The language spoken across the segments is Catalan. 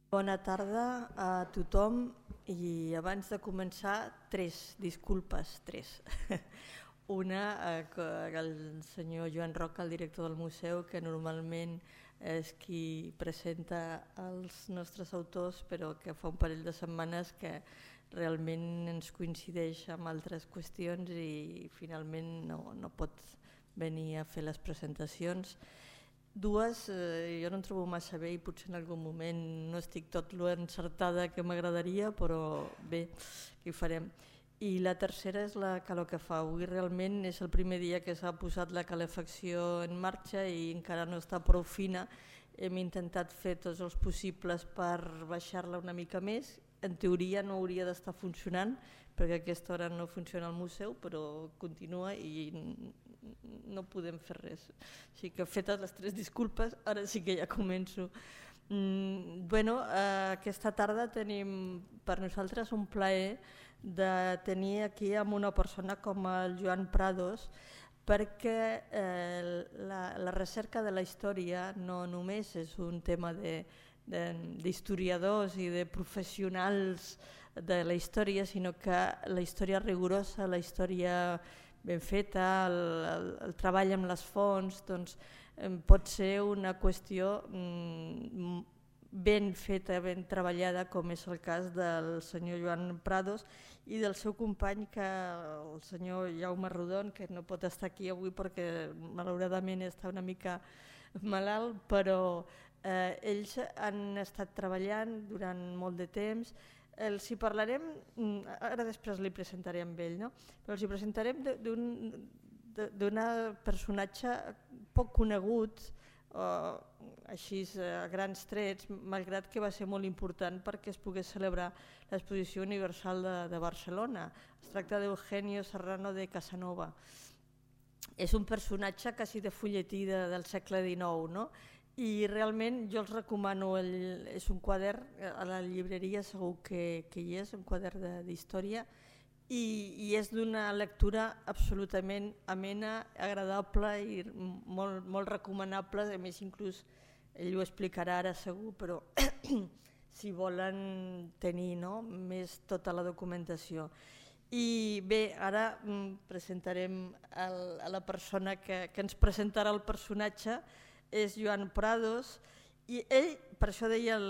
Bona tarda a tothom i abans de començar, tres disculpes. Una, que el senyor Joan Roca, el director del museu, que normalment és qui presenta els nostres autors, però que fa un parell de setmanes que realment ens coincideix amb altres qüestions i finalment no pot venir a fer les presentacions. Dues, jo no em trobo massa bé i potser en algun moment no estic tot l'encertada que m'agradaria, però bé, què hi farem. I la tercera és la calor que fa. Avui realment és el primer dia que s'ha posat la calefacció en marxa i encara no està prou fina. Hem intentat fer tots els possibles per baixar-la una mica més. En teoria no hauria d'estar funcionant perquè a aquesta hora no funciona el museu, però continua i no podem fer res. Així que fetes les tres disculpes, ara sí que ja començo. Aquesta tarda tenim per nosaltres un plaer de tenir aquí amb una persona com el Joan Prados, perquè la recerca de la història no només és un tema d'historiadors i de professionals de la història, sinó que la història rigorosa, la història ben feta, el treball amb les fonts, doncs, pot ser una qüestió ben feta, ben treballada, com és el cas del senyor Joan Prados i del seu company, el senyor Jaume Rodon, que no pot estar aquí avui perquè malauradament està una mica malalt, però ells han estat treballant durant molt de temps. Els hi parlarem, ara després li presentaré amb ell, no? Però els hi presentarem d'un personatge poc conegut, així a grans trets, malgrat que va ser molt important perquè es pogués celebrar l'Exposició Universal de Barcelona. Es tracta d'Eugenio Serrano de Casanova. És un personatge quasi de fulletí del segle XIX, no? I realment jo els recomano, és un quadern, a la llibreria segur que hi és, un quadern d'història, i és d'una lectura absolutament amena, agradable i molt recomanable. A més, inclús ell ho explicarà ara segur, però si volen tenir més tota la documentació. I bé, ara presentarem a la persona que ens presentarà el personatge. És Joan Prados i ell, per això deia,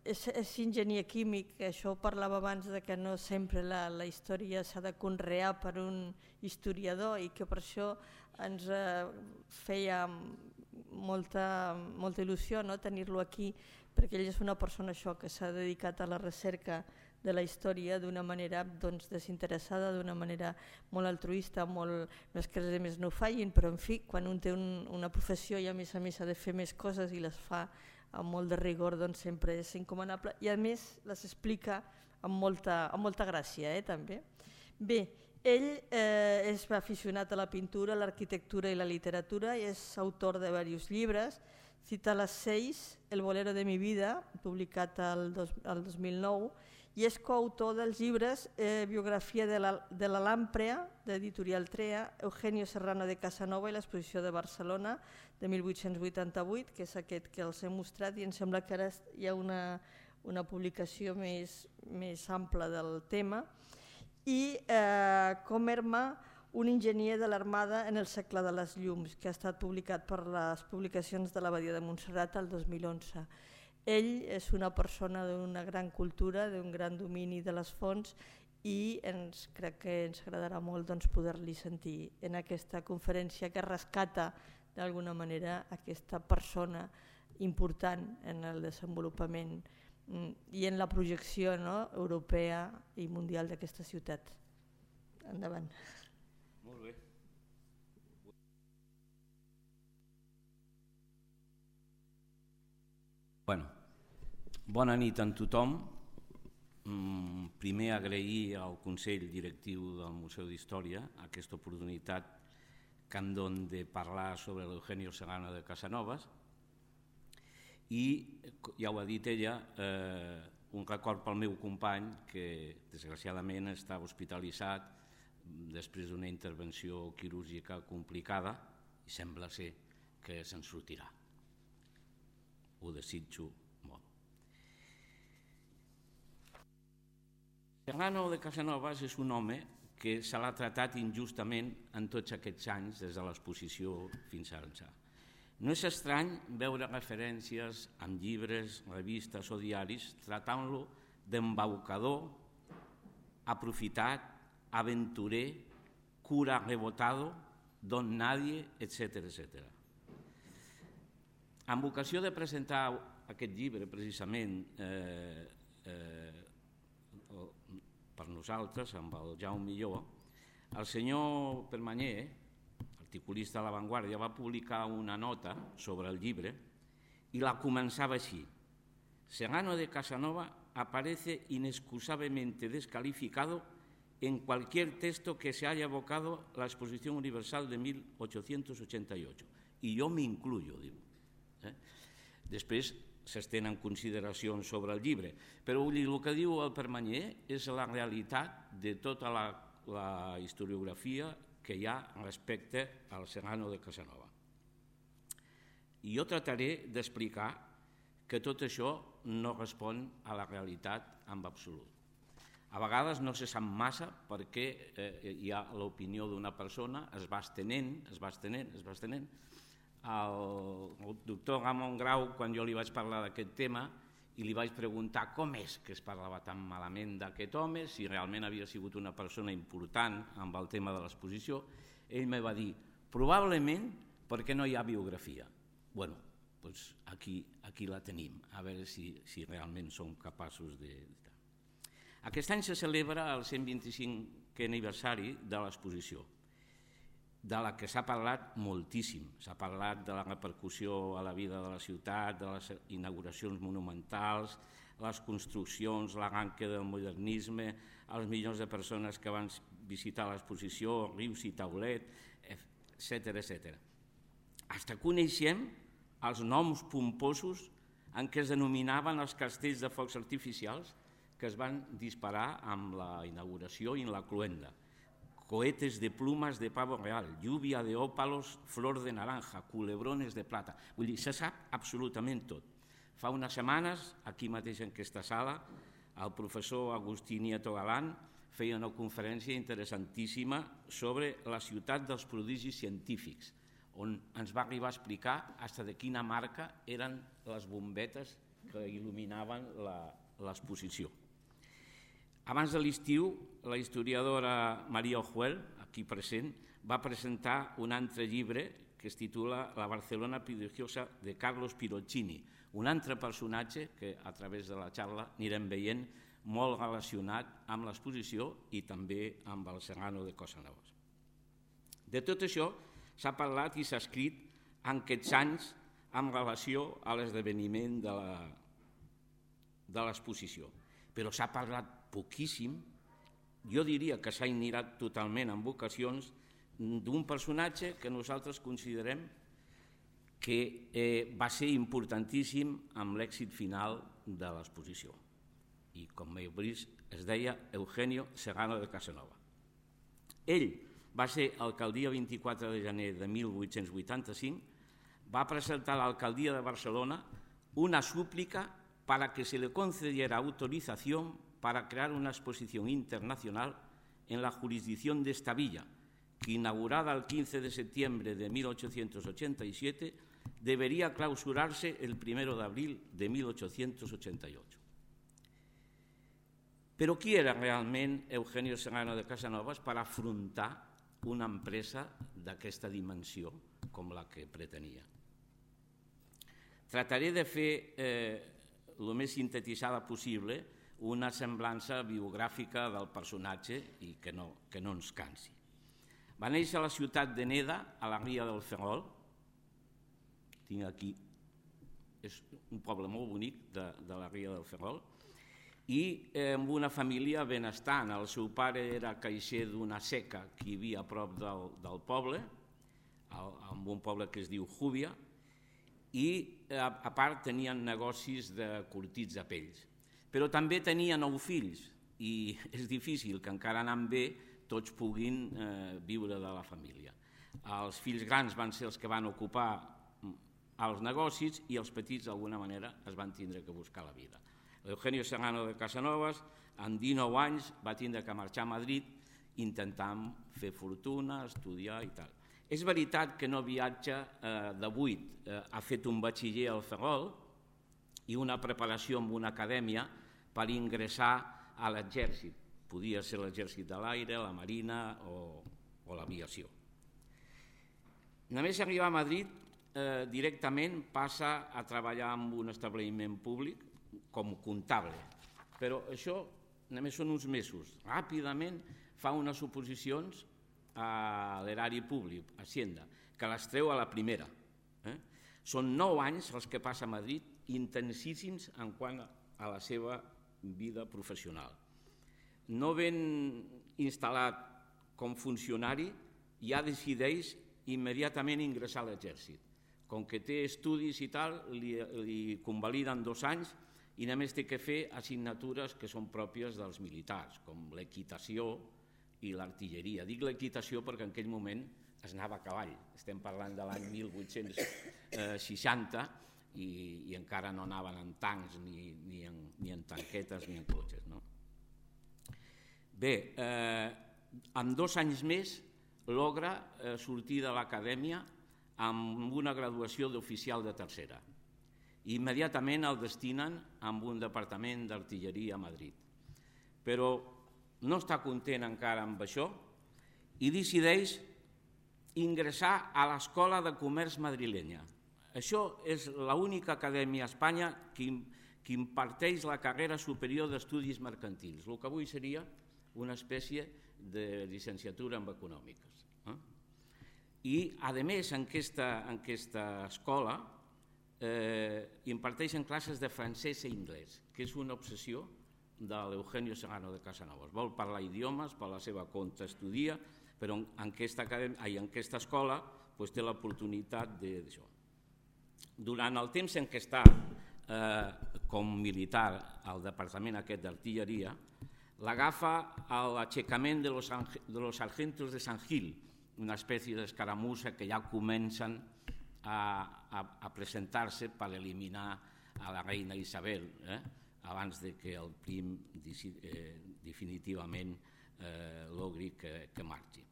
és enginyer químic, això parlava abans de que no sempre la història s'ha de conrear per un historiador i que per això ens feia molta il·lusió tenir-lo aquí, perquè ell és una persona que s'ha dedicat a la recerca de la història d'una manera desinteressada, d'una manera molt altruista, no és que els altres no ho facin, però en fi, quan un té una professió i a més ha de fer més coses i les fa amb molt de rigor, doncs sempre és encomanable i a més les explica amb molta gràcia també. Bé, ell és aficionat a la pintura, l'arquitectura i la literatura i és autor de diversos llibres. Cita las 6, El bolero de mi vida, publicat el 2009, i és coautor dels llibres Biografia de la Làmprea, d'Editorial Trea, Eugenio Serrano de Casanova i l'Exposició de Barcelona de 1888, que és aquest que els he mostrat, i em sembla que ara hi ha una publicació més ampla del tema. I Comerma, un enginyer de l'Armada en el segle de les llums, que ha estat publicat per les publicacions de l'Abadia de Montserrat el 2011. Ell és una persona d'una gran cultura, d'un gran domini de les fonts i crec que ens agradarà molt poder-li sentir en aquesta conferència que rescata d'alguna manera aquesta persona important en el desenvolupament i en la projecció europea i mundial d'aquesta ciutat. Endavant. Molt bé. Bona nit a tothom. Primer agrair al Consell Directiu del Museu d'Història aquesta oportunitat que em dona de parlar sobre l'Eugenio Serrano de Casanovas i, ja ho ha dit ella, un record pel meu company que desgraciadament estava hospitalitzat després d'una intervenció quirúrgica complicada i sembla ser que se'n sortirà. Ho desitjo molt. Serrano de Casanovas és un home que se l'ha tratat injustament en tots aquests anys, des de l'exposició fins ara. No és estrany veure referències en llibres, revistes o diaris tratant-lo d'embaucador, aprofitat, aventurer, cura rebotado, don nadie, etc. Amb ocasió de presentar aquest llibre, precisament, per nosaltres, amb el Jaume Millor, el senyor Permanyer, articulista de La Vanguardia, va publicar una nota sobre el llibre i la començava així: Serrano de Casanova aparece inexcusablemente descalificado en cualquier texto que se haya evocado la Exposición Universal de 1888. I jo m'incluyo, diu. Després s'estenen consideracions sobre el llibre, però vull dir, el que diu el Permanyer és la realitat de tota la historiografia que hi ha respecte al Serrano de Casanova. I jo trataré d'explicar que tot això no respon a la realitat en absolut. A vegades no se sap massa perquè hi ha l'opinió d'una persona, es va estenent. El doctor Ramon Grau, quan jo li vaig parlar d'aquest tema i li vaig preguntar com és que es parlava tan malament d'aquest home, si realment havia sigut una persona important amb el tema de l'exposició, ell me va dir, probablement perquè no hi ha biografia. Bueno, doncs aquí la tenim, a veure si realment som capaços de... Aquest any se celebra el 125è aniversari de l'exposició, de la que s'ha parlat moltíssim. S'ha parlat de la repercussió a la vida de la ciutat, de les inauguracions monumentals, les construccions, l'arranque del modernisme, els milions de persones que van visitar l'exposició, rius i taulet, etc. Fins que coneixem els noms pomposos en què es denominaven els castells de focs artificials que es van disparar amb la inauguració i en la cloenda. Cohetes de plumas de pavo real, lluvia de ópalos, flor de naranja, culebrones de plata. Vull dir, se sap absolutament tot. Fa unes setmanes, aquí mateix en aquesta sala, el professor Agustí Nieto Galán feia una conferència interessantíssima sobre la ciutat dels prodigis científics, on ens va arribar a explicar fins de quina marca eren les bombetes que il·luminaven l'exposició. Abans de l'estiu, la historiadora Maria Ojuel, aquí present, va presentar un altre llibre que es titula La Barcelona prodigiosa de Carlos Pirozzini, un altre personatge que a través de la xarra anirem veient molt relacionat amb l'exposició i també amb el Serrano de Casanova. De tot això s'ha parlat i s'ha escrit en aquests anys en relació a l'esdeveniment de l'exposició, però s'ha parlat poquíssim, jo diria que s'ha ignorat totalment en ocasions, d'un personatge que nosaltres considerem que va ser importantíssim amb l'èxit final de l'exposició. I com heu vist, es deia Eugenio Serrano de Casanova. Ell va ser el dia 24 de gener de 1885, va presentar a l'alcaldia de Barcelona una súplica para que se le concediera autorización para crear una exposición internacional en la jurisdicción de esta villa, que inaugurada el 15 de septiembre de 1887, debería clausurarse el 1 de abril de 1888. Però qui era realment Eugenio Serrano de Casanovas per afrontar una empresa d'aquesta dimensió com la que pretenia? Trataré de fer el més sintetitzada possible una semblança biogràfica del personatge i que no ens cansi. Va néixer a la ciutat de Neda, a la ria del Ferrol. Tinc aquí, és un poble molt bonic de la ria del Ferrol, i amb una família benestant. El seu pare era caixer d'una seca que hi havia a prop del poble, en un poble que es diu Júbia, i a part tenien negocis de cortits de pells. Però també tenia 9 fills i és difícil que encara anant bé tots puguin viure de la família. Els fills grans van ser els que van ocupar els negocis i els petits d'alguna manera es van tindre que buscar la vida. Eugenio Serrano de Casanovas, amb 19 anys, va tindre que marxar a Madrid intentant fer fortuna, estudiar i tal. És veritat que no viatja de 8, ha fet un batxiller al Ferrol i una preparació en una acadèmia per ingressar a l'exèrcit. Podia ser l'exèrcit de l'aire, la marina o l'aviació. Només arribar a Madrid, directament passa a treballar en un establiment públic com comptable, però això només són uns mesos. Ràpidament fa unes oposicions a l'erari públic, a Hacienda, que les treu a la primera. Són 9 anys els que passa a Madrid, intensíssims en quant a la seva vida professional. No ben instal·lat com funcionari, ja decideix immediatament ingressar a l'exèrcit. Com que té estudis i tal, li convaliden 2 anys i només té que fer assignatures que són pròpies dels militars, com l'equitació i l'artilleria. Dic l'equitació perquè en aquell moment es anava a cavall. Estem parlant de l'any 1860 i encara no anaven en tancs, ni en tanquetes, ni en cotxes. Bé, en 2 anys més logra sortir de l'acadèmia amb una graduació d'oficial de tercera. Immediatament el destinen a un departament d'artilleria a Madrid. Però no està content encara amb això i decideix ingressar a l'Escola de Comerç madrilenya. Això és l'única acadèmia a Espanya que imparteix la carrera superior d'estudis mercantils, el que avui seria una espècie de llicenciatura en econòmiques. I, a més, en aquesta escola imparteixen classes de francès i anglès, que és una obsessió de l'Eugenio Serrano de Casanovas. Vol parlar idiomes, per la seva compte estudia, però en aquesta escola té l'oportunitat d'això. Durant el temps en què està com militar al departament aquest d'artilleria, l'agafa l'aixecament de los sargentos de San Gil, una espècie d'escaramussa que ja comencen a presentar-se per eliminar a la reina Isabel, abans que el Prim definitivament logri que marxi.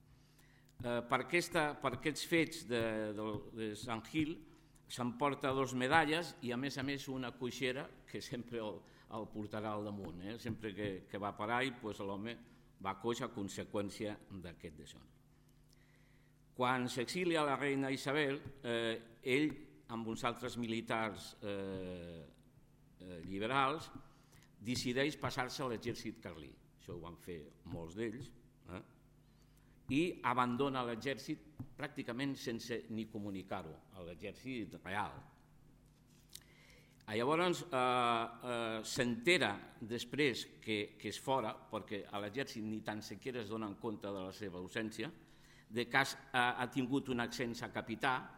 Per aquests fets de Sant Gil s'emporta 2 medalles i a més una coixera que sempre el portarà al damunt. Sempre que va per ahí l'home va coix a conseqüència d'aquest d'això. Quan s'exilia la reina Isabel, ell amb uns altres militars liberals decideix passar-se a l'exèrcit carlí. Això ho van fer molts d'ells, i abandona l'exèrcit pràcticament sense ni comunicar-ho, a l'exèrcit real. Llavors s'entera després que és fora, perquè a l'exèrcit ni tan sequera es donen compte de la seva ausència, de que ha tingut un ascens a capità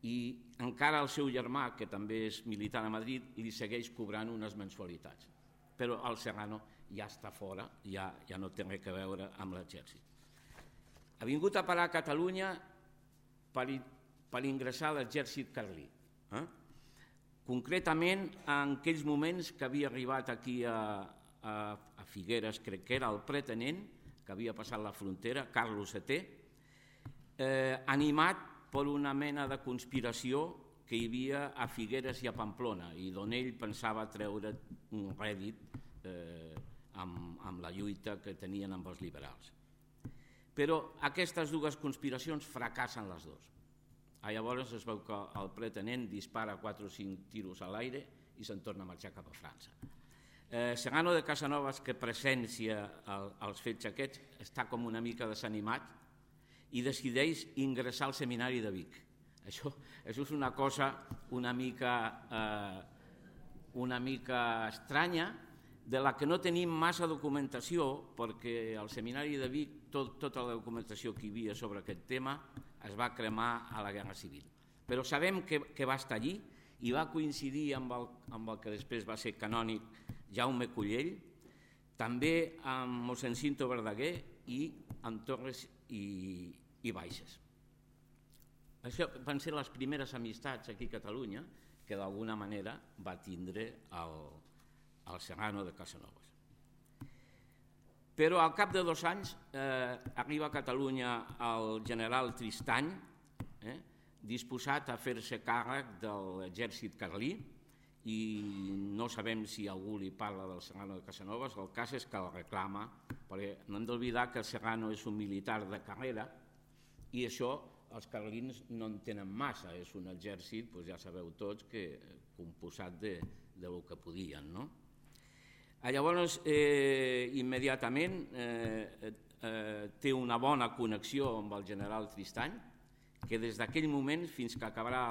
i encara el seu germà, que també és militar a Madrid, li segueix cobrant unes mensualitats. Però el Serrano ja està fora, ja no té res a veure amb l'exèrcit. Ha vingut a parar a Catalunya per ingressar a l'exèrcit carlí. Concretament, en aquells moments que havia arribat aquí a Figueres, crec que era el pretenent, que havia passat la frontera, Carlos VII, animat per una mena de conspiració que hi havia a Figueres i a Pamplona i d'on ell pensava treure un rèdit amb la lluita que tenien amb els liberals. Però aquestes 2 conspiracions fracassen les 2. Llavors es veu que el pretenent dispara 4 o 5 tiros a l'aire i se'n torna a marxar cap a França. Serrano de Casanovas, que presencia els fets aquests, està com una mica desanimat i decideix ingressar al seminari de Vic. Això és una cosa una mica estranya, de la que no tenim massa documentació, perquè al seminari de Vic tota la documentació que hi havia sobre aquest tema es va cremar a la Guerra Civil. Però sabem que va estar allí i va coincidir amb el que després va ser canònic Jaume Collell, també amb mossèn Cinto Verdaguer i amb Torres i Baixes. Això van ser les primeres amistats aquí a Catalunya que d'alguna manera va tindre Serrano de Casanovas. Però al cap de 2 anys arriba a Catalunya el general Tristany, disposat a fer-se càrrec de l'exèrcit carlí, i no sabem si algú li parla del Serrano de Casanovas. El cas és que el reclama, perquè no hem d'oblidar que el Serrano és un militar de carrera i això els carlins no en tenen massa, és un exèrcit, ja sabeu tots, composat del que podien, no? Llavors, immediatament té una bona connexió amb el general Tristany, que des d'aquell moment fins que acabarà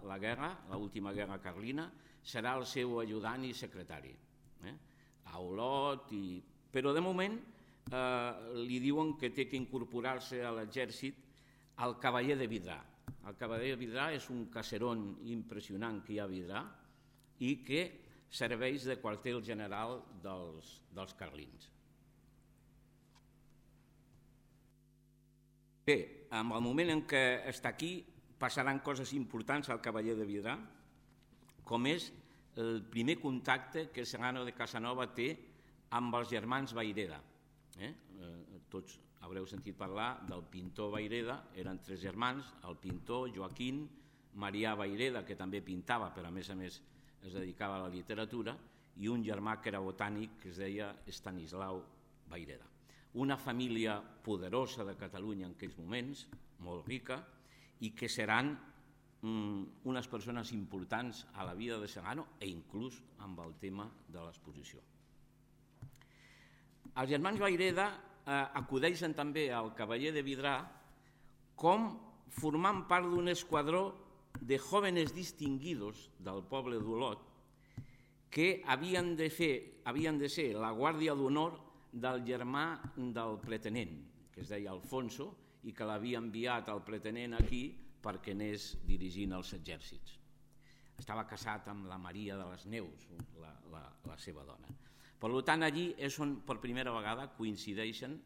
la guerra, l'última guerra carlina, serà el seu ajudant i secretari. A Olot, però de moment li diuen que té que incorporar-se a l'exèrcit el cavaller de Vidrà. El cavaller de Vidrà és un caserón impressionant que hi ha a Vidrà i que serveix de quartel general dels carlins. Bé, en el moment en què està aquí passaran coses importants al cavaller de Vidrà, com és el primer contacte que Serrano de Casanova té amb els germans Vayreda. Tots haureu sentit parlar del pintor Vayreda, eren 3 germans, el pintor Joaquín, Marià Vayreda, que també pintava, però a més es dedicava a la literatura, i un germà que era botànic, que es deia Estanislau Vayreda. Una família poderosa de Catalunya en aquells moments, molt rica, i que seran unes persones importants a la vida de Serrano e inclús amb el tema de l'exposició. Els germans Vayreda acudeixen també al cavaller de Vidrà com formant part d'un esquadró de jóvenes distinguidos del poble d'Olot que havien de ser la guàrdia d'honor del germà del pretenent, que es deia Alfonso, i que l'havia enviat al pretenent aquí perquè anés dirigint els exèrcits. Estava casat amb la Maria de les Neus, la seva dona. Per tant, allí és on per primera vegada coincideixen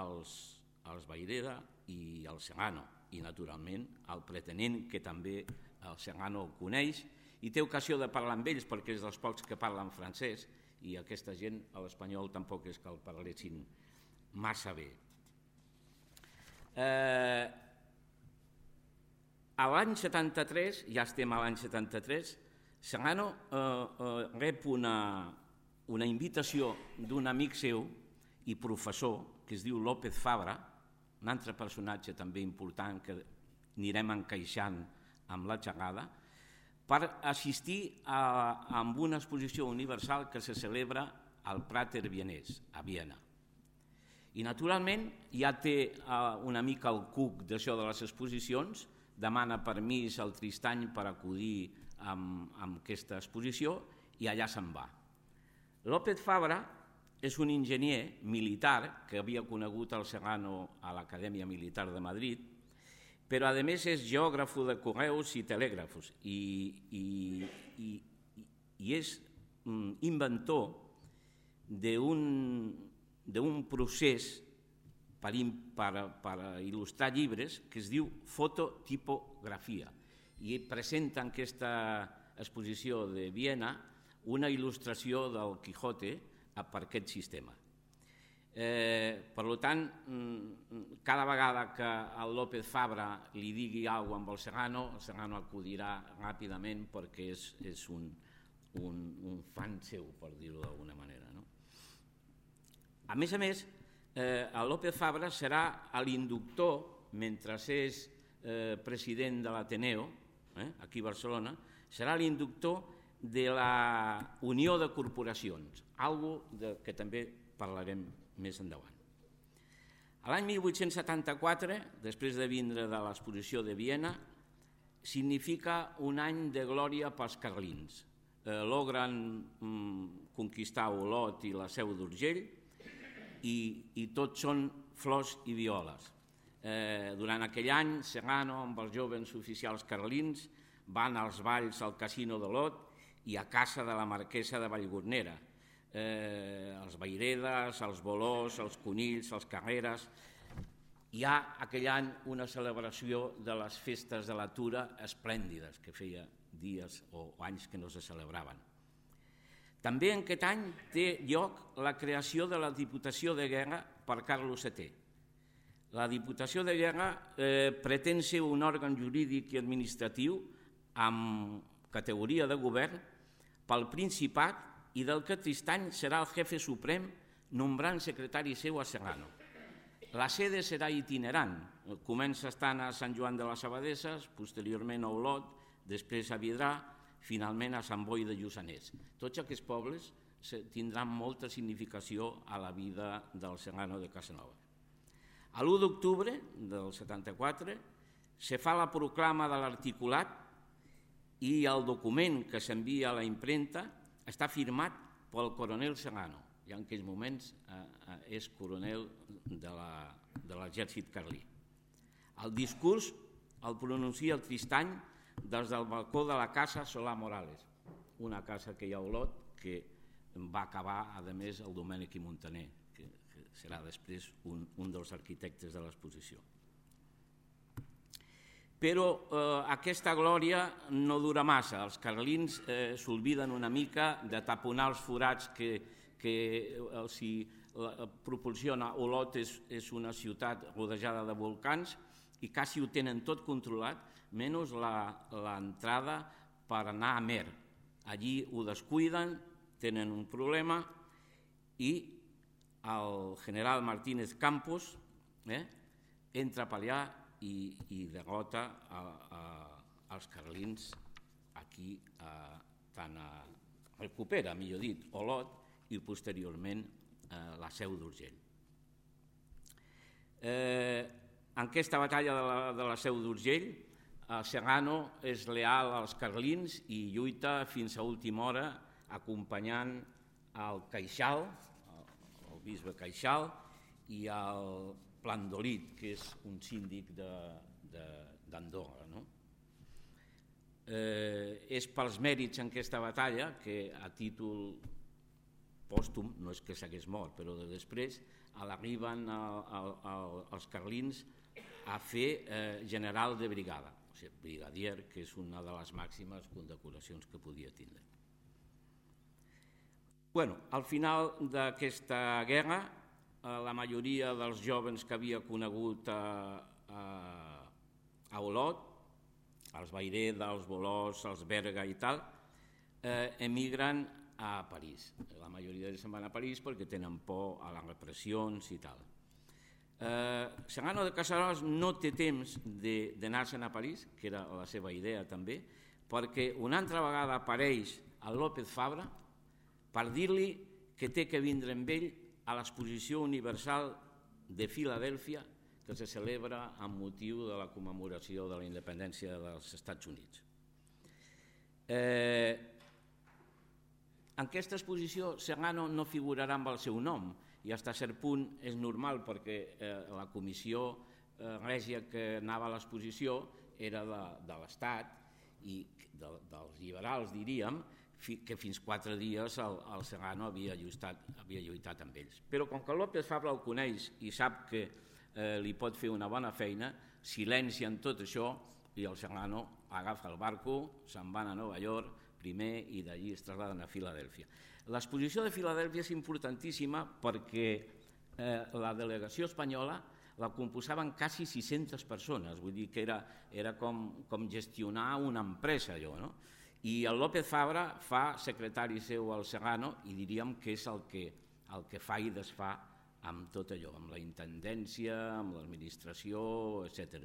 els Vayreda i el Serrano, i naturalment el pretenent, que també el Serrano coneix, i té ocasió de parlar amb ells perquè és dels pocs que parlen francès, i aquesta gent a l'espanyol tampoc és que el parlessin massa bé. A l'any 73, ja estem a l'any 73, Serrano rep una invitació d'un amic seu i professor que es diu López Fabra, un altre personatge també important que anirem encaixant amb la xerrada, per assistir a una exposició universal que se celebra al Prater Vienès, a Viena. I naturalment ja té una mica el cuc d'això de les exposicions, demana permís al Tristany per acudir a aquesta exposició i allà se'n va. López Fabra és un enginyer militar que havia conegut el Serrano a l'Acadèmia Militar de Madrid, però a més és geògraf de correus i telègrafos i és inventor d'un procés per il·lustrar llibres que es diu fototipografia, i presenta en aquesta exposició de Viena una il·lustració del Quijote per aquest sistema. Per tant, cada vegada que el López Fabra li digui alguna cosa amb el Serrano acudirà ràpidament perquè és un fan seu, per dir-ho d'alguna manera. A més, el López Fabra serà l'inductor, mentre és president de l'Ateneo, aquí a Barcelona, serà l'inductor de la Unió de Corporacions, cosa que també parlarem més endavant. L'any 1874, després de vindre de l'exposició de Viena, significa un any de glòria pels carlins. Logren conquistar Olot i la Seu d'Urgell i tot són flors i violes. Durant aquell any, Serrano, amb els joves oficials carlins, van als balls al Casino d'Olot i a casa de la marquesa de Vallgornera. Els Vairedes, els Bolós, els Conills, els Carreres. Hi ha aquell any una celebració de les festes de la Tura esplèndides, que feia dies o anys que no se celebraven. També en aquest any té lloc la creació de la Diputació de Guerra per Carlos VII. La Diputació de Guerra pretén ser un òrgan jurídic i administratiu amb categoria de govern pel Principat i del que Tristany serà el jefe suprem nombrant secretari seu a Serrano. La sede serà itinerant, comença estant a Sant Joan de les Abadesses, posteriorment a Olot, després a Vidrà, finalment a Sant Boi de Lluçanès. Tots aquests pobles tindran molta significació a la vida del Serrano de Casanova. A l'1 d'octubre del 74 se fa la proclama de l'articulat i el document que s'envia a la impremta està firmat pel coronel Serrano, ja en aquells moments és coronel de l'exèrcit carlí. El discurs el pronuncia el Tristany des del balcó de la casa Solà Morales, una casa que hi ha a Olot que va acabar, a més, el Domènec i Montaner, que serà després un dels arquitectes de l'exposició. Però aquesta glòria no dura massa. Els carlins s'olviden una mica de taponar els forats que els proporciona. Olot és una ciutat rodejada de volcans i quasi ho tenen tot controlat, menys l'entrada per anar a Mer. Allí ho descuiden, tenen un problema i el general Martínez Campos entra per allà i derrota els carlins aquí, recupera, millor dit, Olot i posteriorment la Seu d'Urgell. En aquesta batalla de la Seu d'Urgell, Serrano és leal als carlins i lluita fins a última hora acompanyant el Queixal, el bisbe Queixal, i el Plandolit, que és un síndic d'Andorra. És pels mèrits en aquesta batalla que a títol pòstum, no és que s'hagués mort, però després l'arriben els carlins a fer general de brigada, o sigui, brigadier, que és una de les màximes condecoracions que podia tindre. Al final d'aquesta guerra, la majoria dels jovens que havia conegut a Olot, els Vayreda, els Bolòs, els Berga i tal, emigren a París. La majoria d'ells se'n van a París perquè tenen por a les repressions i tal. Serrano de Casanovas no té temps d'anar-se'n a París, que era la seva idea també, perquè una altra vegada apareix el López Fabra per dir-li que té que vindre amb ell a l'Exposició Universal de Filadèlfia que se celebra amb motiu de la commemoració de la independència dels Estats Units. En aquesta exposició Serrano no figurarà amb el seu nom, i fins a cert punt és normal perquè la comissió règia que anava a l'exposició era de l'Estat i dels liberals, diríem, que fins 4 dies el Serrano havia lluitat amb ells. Però com que López Fabra el coneix i sap que li pot fer una bona feina, silencien tot això i el Serrano agafa el barco, se'n van a Nova York primer i d'allí es traslladen a Filadèlfia. L'exposició de Filadèlfia és importantíssima perquè la delegació espanyola la composaven quasi 600 persones, vull dir que era com gestionar una empresa allò, no? I el López Fabra fa secretari seu al Serrano i diríem que és el que fa i desfà amb tot allò, amb la intendència, amb l'administració, etc.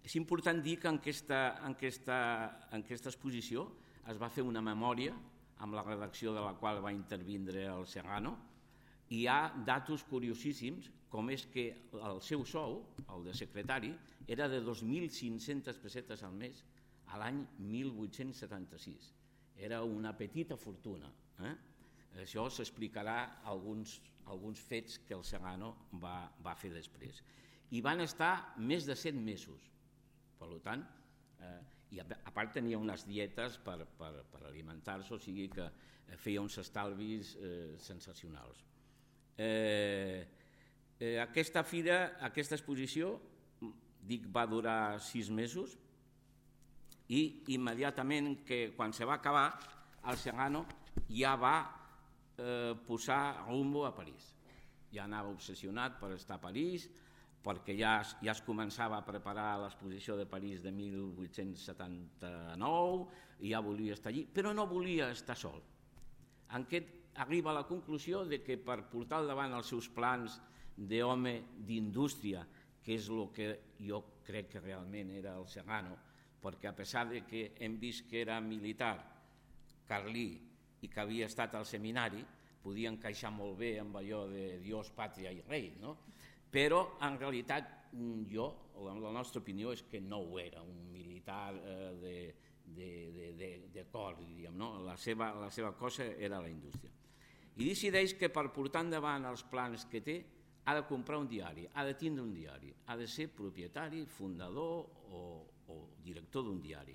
És important dir que en aquesta exposició es va fer una memòria amb la redacció de la qual va intervindre el Serrano i hi ha datos curiosíssims, com és que el seu sou, el de secretari, era de 2.500 pessetes al mes a l'any 1876. Era una petita fortuna. Això s'explicarà alguns fets que el Serrano va fer després. I van estar més de 7 mesos. Per tant, i a part tenia unes dietes per alimentar-se, o sigui que feia uns estalvis sensacionals. Aquesta exposició, dic, va durar 6 mesos i immediatament quan se va acabar el Serrano ja va posar rumbo a París. Ja anava obsessionat per estar a París, perquè ja es començava a preparar l'exposició de París de 1879 i ja volia estar allí, però no volia estar sol. Arriba a la conclusió de que per portar al davant els seus plans d'home d'indústria, que és el que jo crec que realment era el Serrano, perquè a pesar de que hem vist que era militar, carlí i que havia estat al seminari, podia encaixar molt bé amb allò de Dios, pàtria i rei, no? Però en realitat la nostra opinió és que no ho era, un militar de cor, diríem, no? La seva cosa era la indústria. I decideix que per portar endavant els plans que té ha de comprar un diari, ha de tindre un diari, ha de ser propietari, fundador o director d'un diari.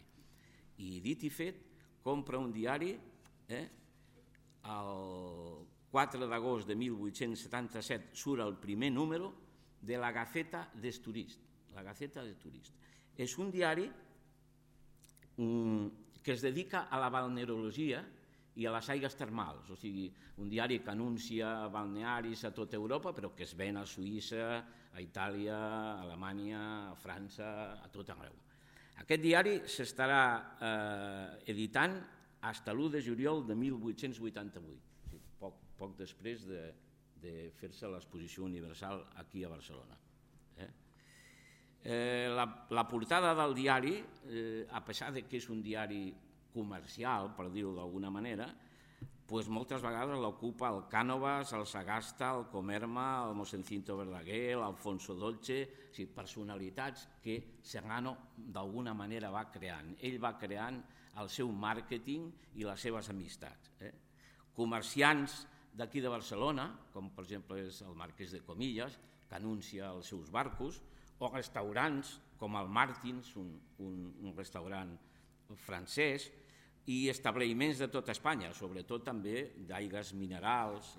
I dit i fet, compra un diari el 4 d'agost de 1877 surt el primer número de la Gaceta des Touristes. La Gaceta des Touristes. És un diari que es dedica a la balneologia i a les aigües termals, o sigui, un diari que anuncia balnearis a tota Europa, però que es ven a Suïssa, a Itàlia, a Alemanya, a França, a tot arreu. Aquest diari s'estarà editant fins a l'1 de juliol de 1888, poc després de fer-se l'exposició universal aquí a Barcelona. La portada del diari, a pesar de que és un diari comercial, per dir-ho d'alguna manera, moltes vegades l'ocupa el Cànovas, el Sagasta, el Comerma, el Mosencinto Verdaguer, l'Alfonso Dolce, personalitats que Serrano d'alguna manera va creant. Ell va creant el seu màrqueting i les seves amistats. Comerciants d'aquí de Barcelona, com per exemple és el Marquès de Comillas, que anuncia els seus barcos, o restaurants com el Martins, un restaurant francès, i establiments de tota Espanya, sobretot també d'aigües minerals.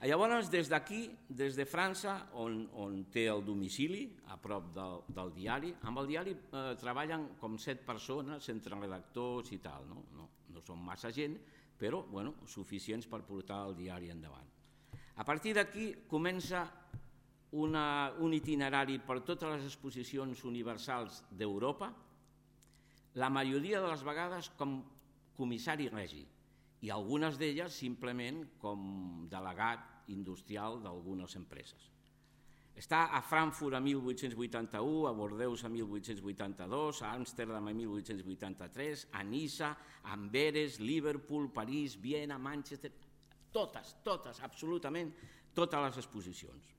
Llavors, des d'aquí, des de França, on té el domicili, a prop del diari, amb el diari treballen com 7 persones, entre redactors i tal, no són massa gent, però suficients per portar el diari endavant. A partir d'aquí comença un itinerari per totes les exposicions universals d'Europa, la majoria de les vegades com comissari regi i algunes d'elles simplement com delegat industrial d'algunes empreses. Està a Frankfurt a 1881, a Bordeus a 1882, a Amsterdam a 1883, a Niça, a Amberes, Liverpool, París, Viena, Manchester, totes, absolutament totes les exposicions.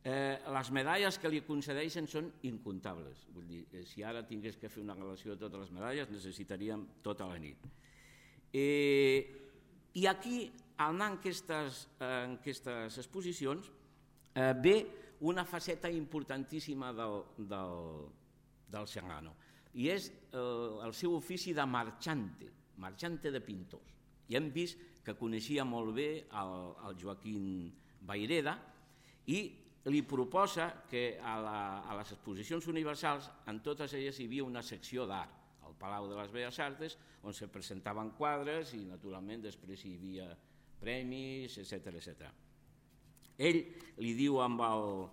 Les medalles que li concedeixen són incomptables. Vull dir, si ara tingués que fer una relació de totes les medalles necessitaríem tota la nit. I aquí, anar en aquestes exposicions, ve una faceta importantíssima del Serrano, i és el seu ofici de marxante de pintors. I hem vist que coneixia molt bé el Joaquim Vayreda i li proposa que a les exposicions universals, en totes elles hi havia una secció d'art, al Palau de les Belles Arts, on se presentaven quadres i, naturalment, després hi havia premis, etc. Ell li diu amb el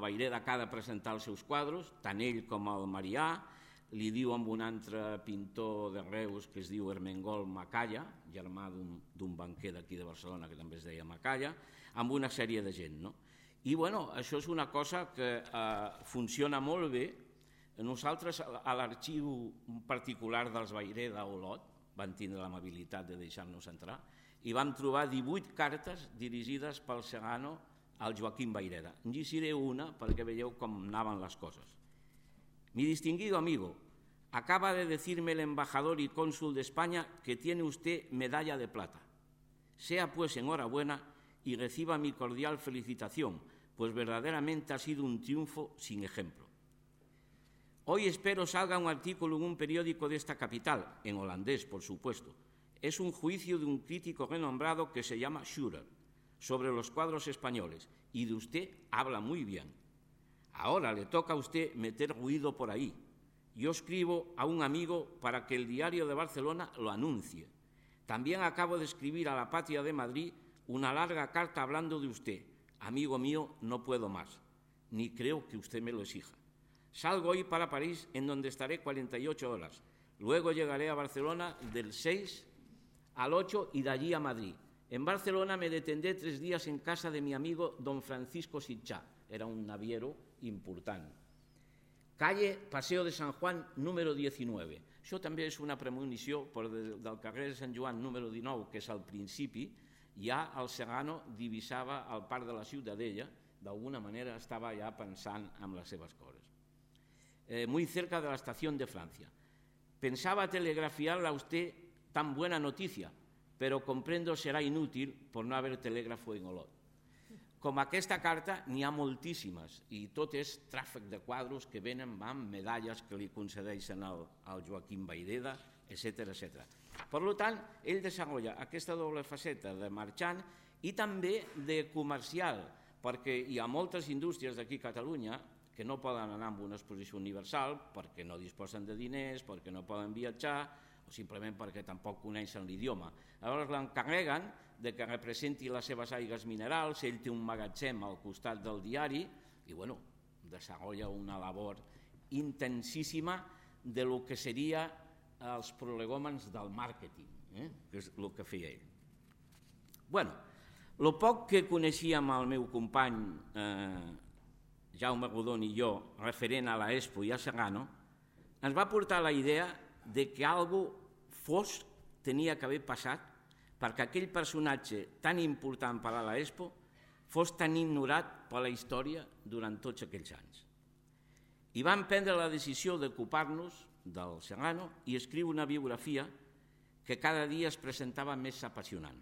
Vayreda que ha de presentar els seus quadres, tant ell com el Marià, li diu amb un altre pintor de Reus que es diu Ermengol Macaya, germà d'un banquer d'aquí de Barcelona que també es deia Macaya, amb una sèrie de gent, no? I això és una cosa que funciona molt bé. Nosaltres, a l'arxiu particular dels Vayreda a Olot, van tindre l'amabilitat de deixar-nos entrar, i vam trobar 18 cartes dirigides pel Serrano al Joaquim Vayreda. En llegiré una perquè veieu com anaven les coses. Mi distinguido amigo, acaba de decirme el embajador y cónsul de España que tiene usted medalla de plata. Sea pues enhorabuena y reciba mi cordial felicitación, pues verdaderamente ha sido un triunfo sin ejemplo. Hoy espero salga un artículo en un periódico de esta capital, en holandés, por supuesto. Es un juicio de un crítico renombrado que se llama Schurer, sobre los cuadros españoles, y de usted habla muy bien. Ahora le toca a usted meter ruido por ahí. Yo escribo a un amigo para que el Diario de Barcelona lo anuncie. También acabo de escribir a la Patria de Madrid una larga carta hablando de usted. Amigo mío, no puedo más, ni creo que usted me lo exija. Salgo hoy para París, en donde estaré 48 horas. Luego llegaré a Barcelona del 6 al 8 y de allí a Madrid. En Barcelona me detendré 3 días en casa de mi amigo don Francisco Sitchá. Era un naviero important. Calle Paseo de San Juan, número 19. Això també és una premonició del carrer de Sant Joan, número 19, que és al principi, ja el Serrano divisava el parc de la Ciutadella, d'alguna manera estava ja pensant en les seves coses. Muy cerca de la estación de Francia. Pensaba telegrafiarle a usted tan buena noticia, pero comprendo será inútil por no haber telégrafo en Olot. Com aquesta carta n'hi ha moltíssimes i tot és tràfic de quadros que venen amb medalles que li concedeixen al Joaquim Vayreda, etc. Per tant, ell desenvolupa aquesta doble faceta de marxant i també de comercial, perquè hi ha moltes indústries d'aquí a Catalunya que no poden anar a una exposició universal perquè no disposen de diners, perquè no poden viatjar o simplement perquè tampoc coneixen l'idioma. Llavors l'encarreguen de que representi les seves aigues minerals, ell té un magatzem al costat del diari i desenvolupa una labor intensíssima de lo que seria els prolegòmens del màrqueting, que és el que feia ell. El poc que coneixíem el meu company Jaume Rodon i jo referent a l'Expo i a Serrano ens va portar la idea de que alguna cosa tenia que haver passat perquè aquell personatge tan important per a l'Expo fos tan ignorat per la història durant tots aquells anys. I vam prendre la decisió d'ocupar-nos del Serrano i escriure una biografia que cada dia es presentava més apassionant.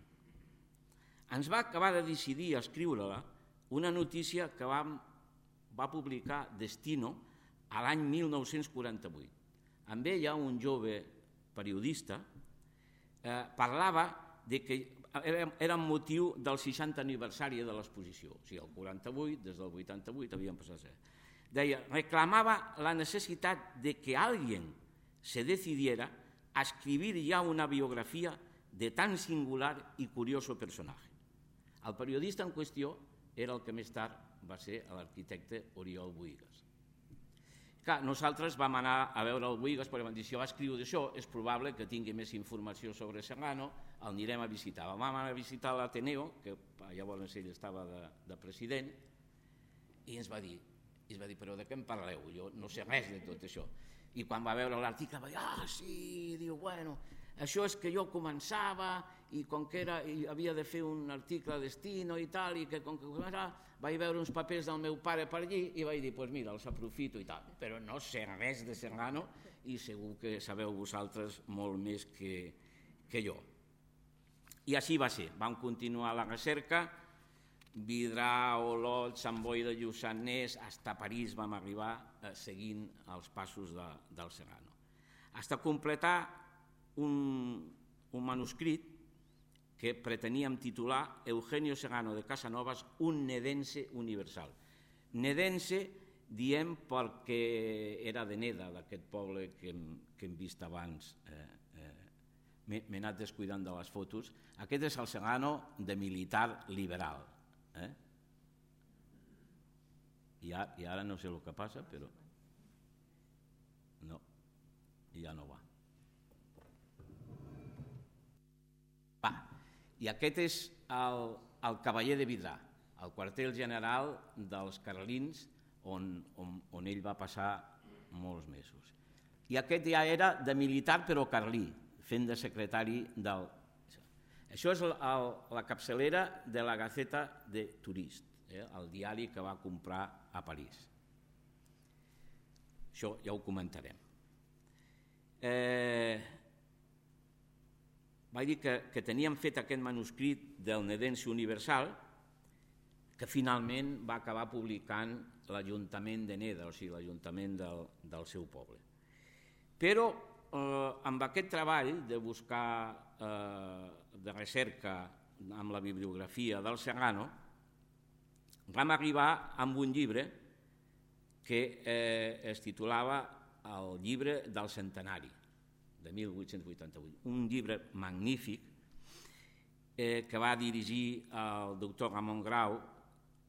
Ens va acabar de decidir escriure-la una notícia que va publicar Destino a l'any 1948. Amb ella, un jove periodista parlava de que era un motiu del 60 aniversari de l'exposició, o sigui, el 48, des del 88 havien passat. Deia, reclamava la necessitat de que alguien se decidiera a escribir ya una biografía de tan singular y curioso personaje. El periodista en qüestió era el que més tard va ser l'arquitecte Oriol Bohigas. Clar, nosaltres vam anar a veure el Bohigas perquè vam dir, si va escriure d'això, és probable que tingui més informació sobre Serrano, el anirem a visitar. Vam anar a visitar l'Ateneo, que llavors ell estava de president, i ens va dir, però de què em parleu? Jo no sé res de tot això. I quan va veure l'article va dir, sí, diu, bueno, això és que jo començava i com que havia de fer un article a Destino i tal, i que com que començava vaig veure uns papers del meu pare per allí i vaig dir, doncs mira, els aprofito i tal. Però no sé res de Serrano i segur que sabeu vosaltres molt més que jo. I així va ser, vam continuar la recerca, Vidrà, Olot, Sant Boi de Lluçanès, fins a París vam arribar seguint els passos del Serrano. Fins a completar un manuscrit que preteníem titular Eugenio Serrano de Casanovas, un nedense universal. Nedense diem perquè era de Neda, d'aquest poble que hem vist abans. M'he anat descuidant de les fotos. Aquest és el Serrano de militar liberal. I ara no sé el que passa, però no, ja no va. I aquest és el Cavaller de Vidrà, el quartel general dels carlins on ell va passar molts mesos. I aquest ja era de militar però carlí, fent de secretari del... Això és la capçalera de la Gaceta de Turist, el diari que va comprar a París. Això ja ho comentarem. Vaig dir que teníem fet aquest manuscrit del Nedense Universal que finalment va acabar publicant l'Ajuntament de Neda, o sigui, l'Ajuntament del seu poble. Però amb aquest treball de buscar, de recerca amb la bibliografia del Serrano, vam arribar amb un llibre que es titulava el llibre del centenari de 1888, un llibre magnífic que va dirigir el doctor Ramon Grau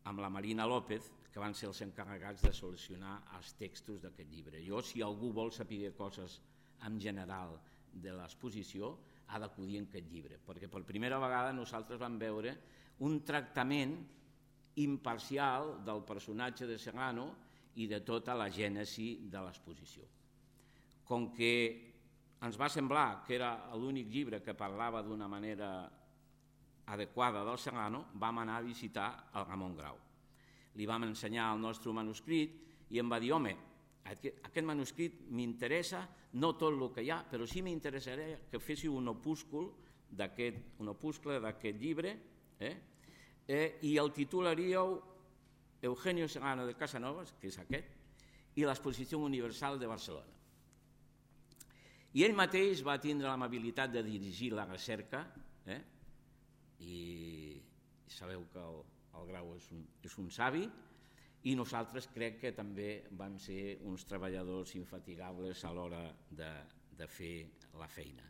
amb la Marina López, que van ser els encarregats de solucionar els textos d'aquest llibre. Jo, si algú vol saber coses en general de l'exposició, ha d'acudir en aquest llibre, perquè per primera vegada nosaltres vam veure un tractament imparcial del personatge de Serrano i de tota la gènesi de l'exposició. Com que ens va semblar que era l'únic llibre que parlava d'una manera adequada del Serrano, vam anar a visitar el Ramon Grau. Li vam ensenyar el nostre manuscrit i em va dir, home, aquest manuscrit m'interessa, no tot el que hi ha, però sí m'interessaria que féssiu un opuscle d'aquest llibre i el titularíeu Eugenio Serrano de Casanovas, que és aquest, i l'Exposició Universal de Barcelona. I ell mateix va tindre l'amabilitat de dirigir la recerca i sabeu que el Grau és un savi i nosaltres crec que també vam ser uns treballadors infatigables a l'hora de fer la feina.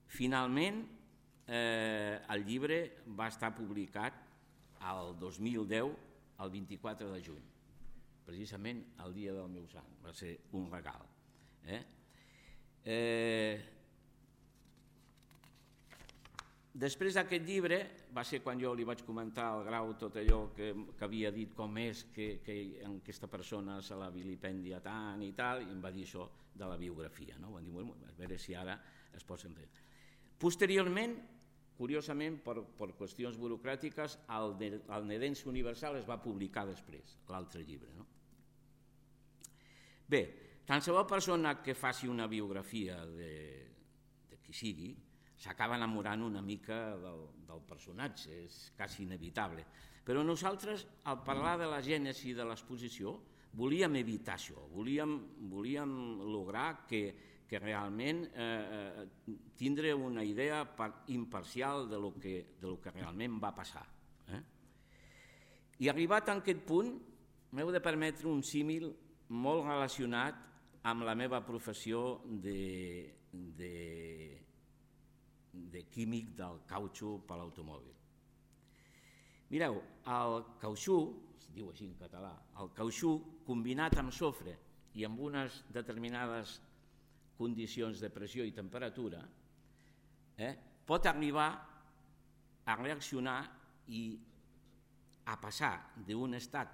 Finalment, el llibre va estar publicat el 2010, el 24 de juny, precisament el dia del meu sant, va ser un regal. Després d'aquest llibre va ser quan jo li vaig comentar al Grau tot allò que havia dit, com és que aquesta persona se la vilipendia tant i tal, i em va dir això de la biografia. Van dir, a veure si ara es posa enrere. Posteriorment, curiosament, per qüestions burocràtiques, el Nedense Universal es va publicar després, l'altre llibre. Bé, qualsevol persona que faci una biografia de qui sigui s'acaba enamorant una mica del personatge, és quasi inevitable. Però nosaltres, al parlar de la gènesi de l'exposició, volíem evitar això, volíem lograr que realment tindre una idea imparcial de lo que realment va passar. I arribat a aquest punt, m'heu de permetre un símil molt relacionat amb la meva professió de químic del cautxú per l'automòbil. Mireu, el cautxú, es diu així en català, el cautxú combinat amb sofre i amb unes determinades condicions de pressió i temperatura, pot arribar a reaccionar i a passar d'un estat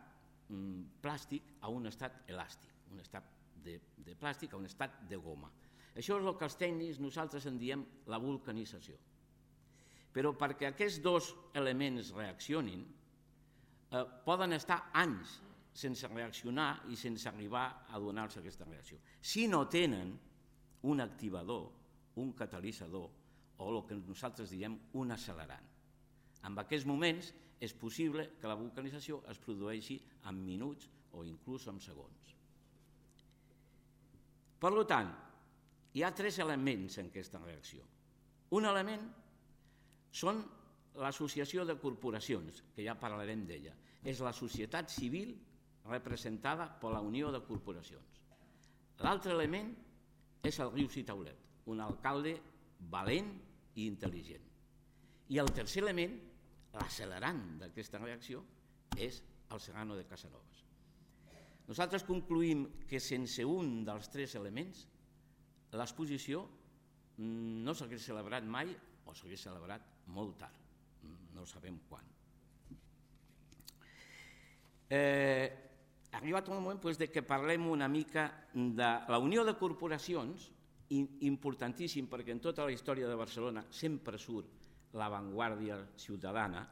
plàstic a un estat elàstic, un estat de plàstic a un estat de goma. Això és el que els tècnics nosaltres en diem la vulcanització. Però perquè aquests dos elements reaccionin, poden estar anys sense reaccionar i sense arribar a donar-se aquesta reacció. Si no tenen un activador, un catalitzador o el que nosaltres diem un accelerant. En aquests moments és possible que la vulcanització es produeixi en minuts o inclús en segons. Per tant, hi ha tres elements en aquesta reacció. Un element són l'associació de corporacions, que ja parlarem d'ella. És la societat civil representada per la Unió de Corporacions. L'altre element és el Rius i Taulet, un alcalde valent i intel·ligent. I el tercer element, l'accelerant d'aquesta reacció, és el Serrano de Casanovas. Nosaltres concluïm que sense un dels tres elements l'exposició no s'hagués celebrat mai o s'hagués celebrat molt tard, no sabem quan. Ha arribat un moment que parlem una mica de la Unió de Corporacions, importantíssim perquè en tota la història de Barcelona sempre surt l'avantguàrdia ciutadana.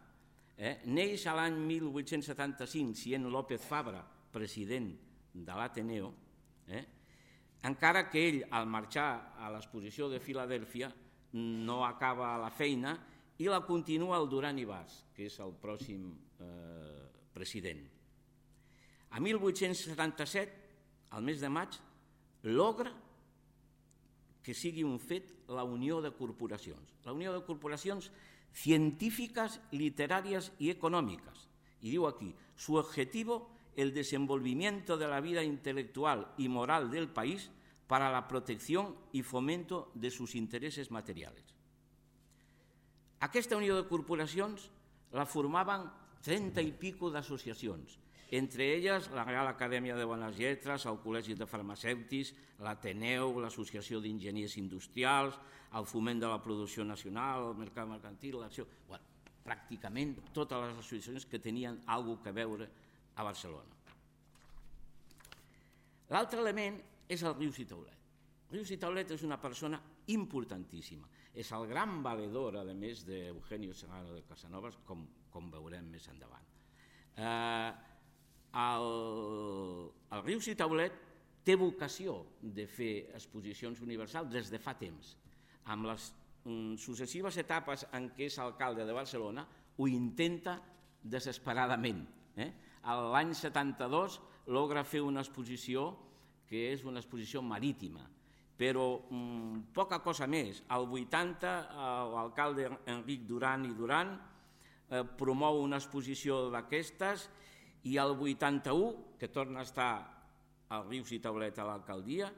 Neix a l'any 1875, sent López Fabra president de l'Ateneo, encara que ell, al marxar a l'exposició de Filadèlfia, no acaba la feina i la continua el Duran i Bas, que és el pròxim president. A 1877, al mes de maig, logra que sigui un fet la Unió de Corporacions. La Unió de Corporacions científicas, literarias y económicas. Y digo aquí, su objetivo el desenvolvimiento de la vida intelectual y moral del país para la protección y fomento de sus intereses materials. Aquesta unió de corporacions la formaven 30 i pico d'associacions, entre elles la Real Acadèmia de Bones Lletres, el Col·legi de Farmacèutics, l'Ateneu, l'Associació d'Enginyers Industrials, el Foment de la Producció Nacional, el Mercat Mercantil, l'Acció... Bueno, pràcticament totes les associacions que tenien alguna cosa a veure a Barcelona. L'altre element és el Rius i Taulet. Rius i Taulet és una persona importantíssima. És el gran valedor, a més, d'Eugenio Serrano de Casanovas, com veurem més endavant. El Rius i Taulet té vocació de fer exposicions universals des de fa temps. Amb les successives etapes en què és alcalde de Barcelona ho intenta desesperadament. L'any 72 logra fer una exposició que és una exposició marítima, però poca cosa més. Al 80 l'alcalde Enric Duran i Duran promou una exposició d'aquestes i al 81, que torna a estar al Rius i Taulet a l'alcaldia,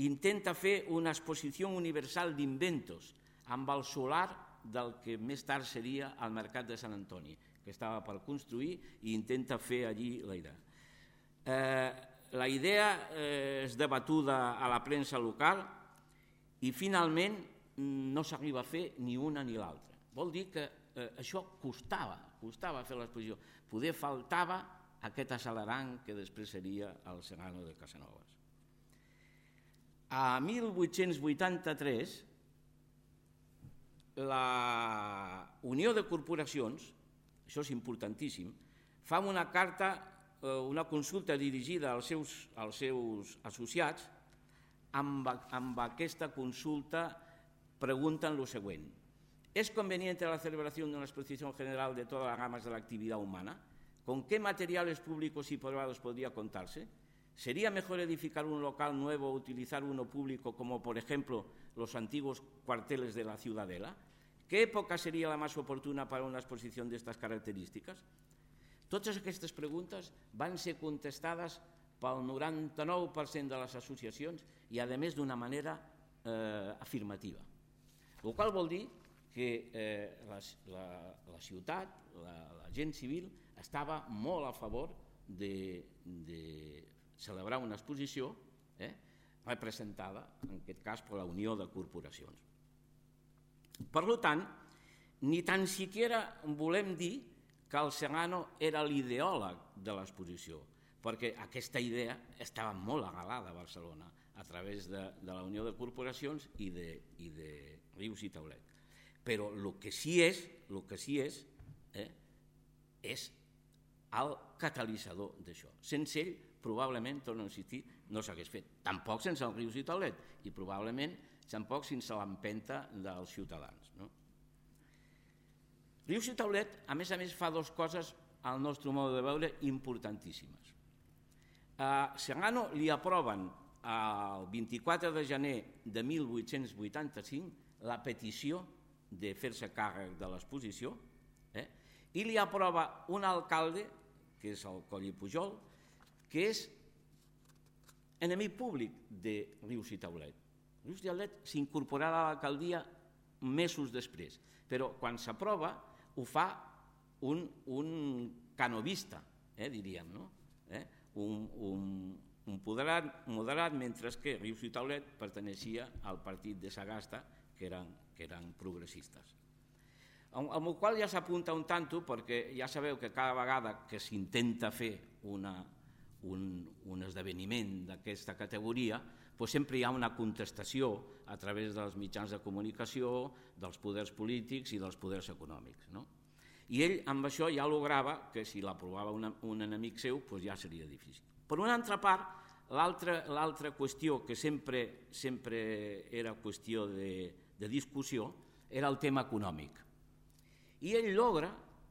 intenta fer una exposició universal d'inventos amb el solar del que més tard seria el Mercat de Sant Antoni, que estava per construir, i intenta fer allí la idea. La idea és debatuda a la premsa local i finalment no s'arriba a fer ni una ni l'altra. Vol dir que això costava fer l'exposició. Poder faltava aquest accelerant que després seria el Serrano de Casanovas. A 1883, la Unió de Corporacions, això és importantíssim, fa una carta, una consulta dirigida als seus associats. Amb aquesta consulta pregunten lo següent: ¿es conveniente la celebración de una exposición general de todas las ramas de la actividad humana? ¿Con qué materiales públicos y privados podría contarse? ¿Sería mejor edificar un local nuevo o utilizar uno público como, por ejemplo, los antiguos cuarteles de la Ciudadela? ¿Qué época sería la más oportuna para una exposición de estas características? Totes aquestes preguntes van ser contestades pel 99% de les associacions i, a més, d'una manera afirmativa. El qual vol dir que la ciutat, la gent civil, estava molt a favor de celebrar una exposició representada, en aquest cas, per la Unió de Corporacions. Per tant, ni tan siquiera volem dir que el Serrano era l'ideòleg de l'exposició, perquè aquesta idea estava molt arrelada a Barcelona a través de la Unió de Corporacions i de Rius i Taulet. Però el que sí és el catalitzador d'això. Sense ell, probablement, torno a insistir, no s'hagués fet. Tampoc sense el Rius i Taulet i probablement tampoc sense l'empenta dels ciutadans. Rius i Taulet, a més, fa dues coses, al nostre mode de veure, importantíssimes. A Serrano li aproven el 24 de gener de 1885 la petició de fer-se càrrec de l'exposició i li aprova un alcalde, que és el Coll i Pujol, que és enemic públic de Rius i Taulet. Rius i Taulet s'incorporarà a l'alcaldia mesos després, però quan s'aprova ho fa un canovista, diríem, un moderat, mentre que Rius i Taulet perteneixia al partit de Sagasta, que eren progressistes. Amb el qual ja s'apunta un tanto, perquè ja sabeu que cada vegada que s'intenta fer un esdeveniment d'aquesta categoria, sempre hi ha una contestació a través dels mitjans de comunicació, dels poders polítics i dels poders econòmics. I ell amb això ja lograva que si l'aprovava un enemic seu ja seria difícil. Per una altra part, l'altra qüestió que sempre era qüestió de discussió era el tema econòmic. I ell logra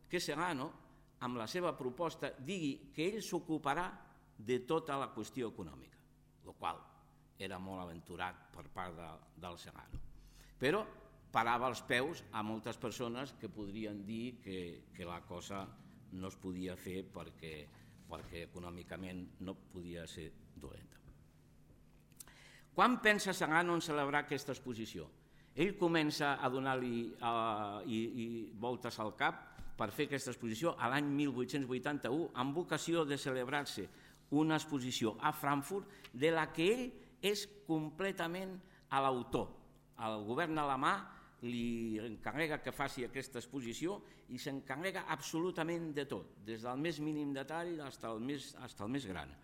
que Serrano, amb la seva proposta, digui que ell s'ocuparà de tota la qüestió econòmica, el qual era molt aventurat per part del Serrano. Però parava els peus a moltes persones que podrien dir que la cosa no es podia fer perquè perquè econòmicament no podia ser dolenta. Quan pensa Sagano en celebrar aquesta exposició? Ell comença a donar-li voltes al cap per fer aquesta exposició a l'any 1881 amb vocació de celebrar-se una exposició a Frankfurt de la que ell és completament l'autor. El govern alemà li encarrega que faci aquesta exposició i s'encarrega absolutament de tot, des del més mínim detall fins al més gran.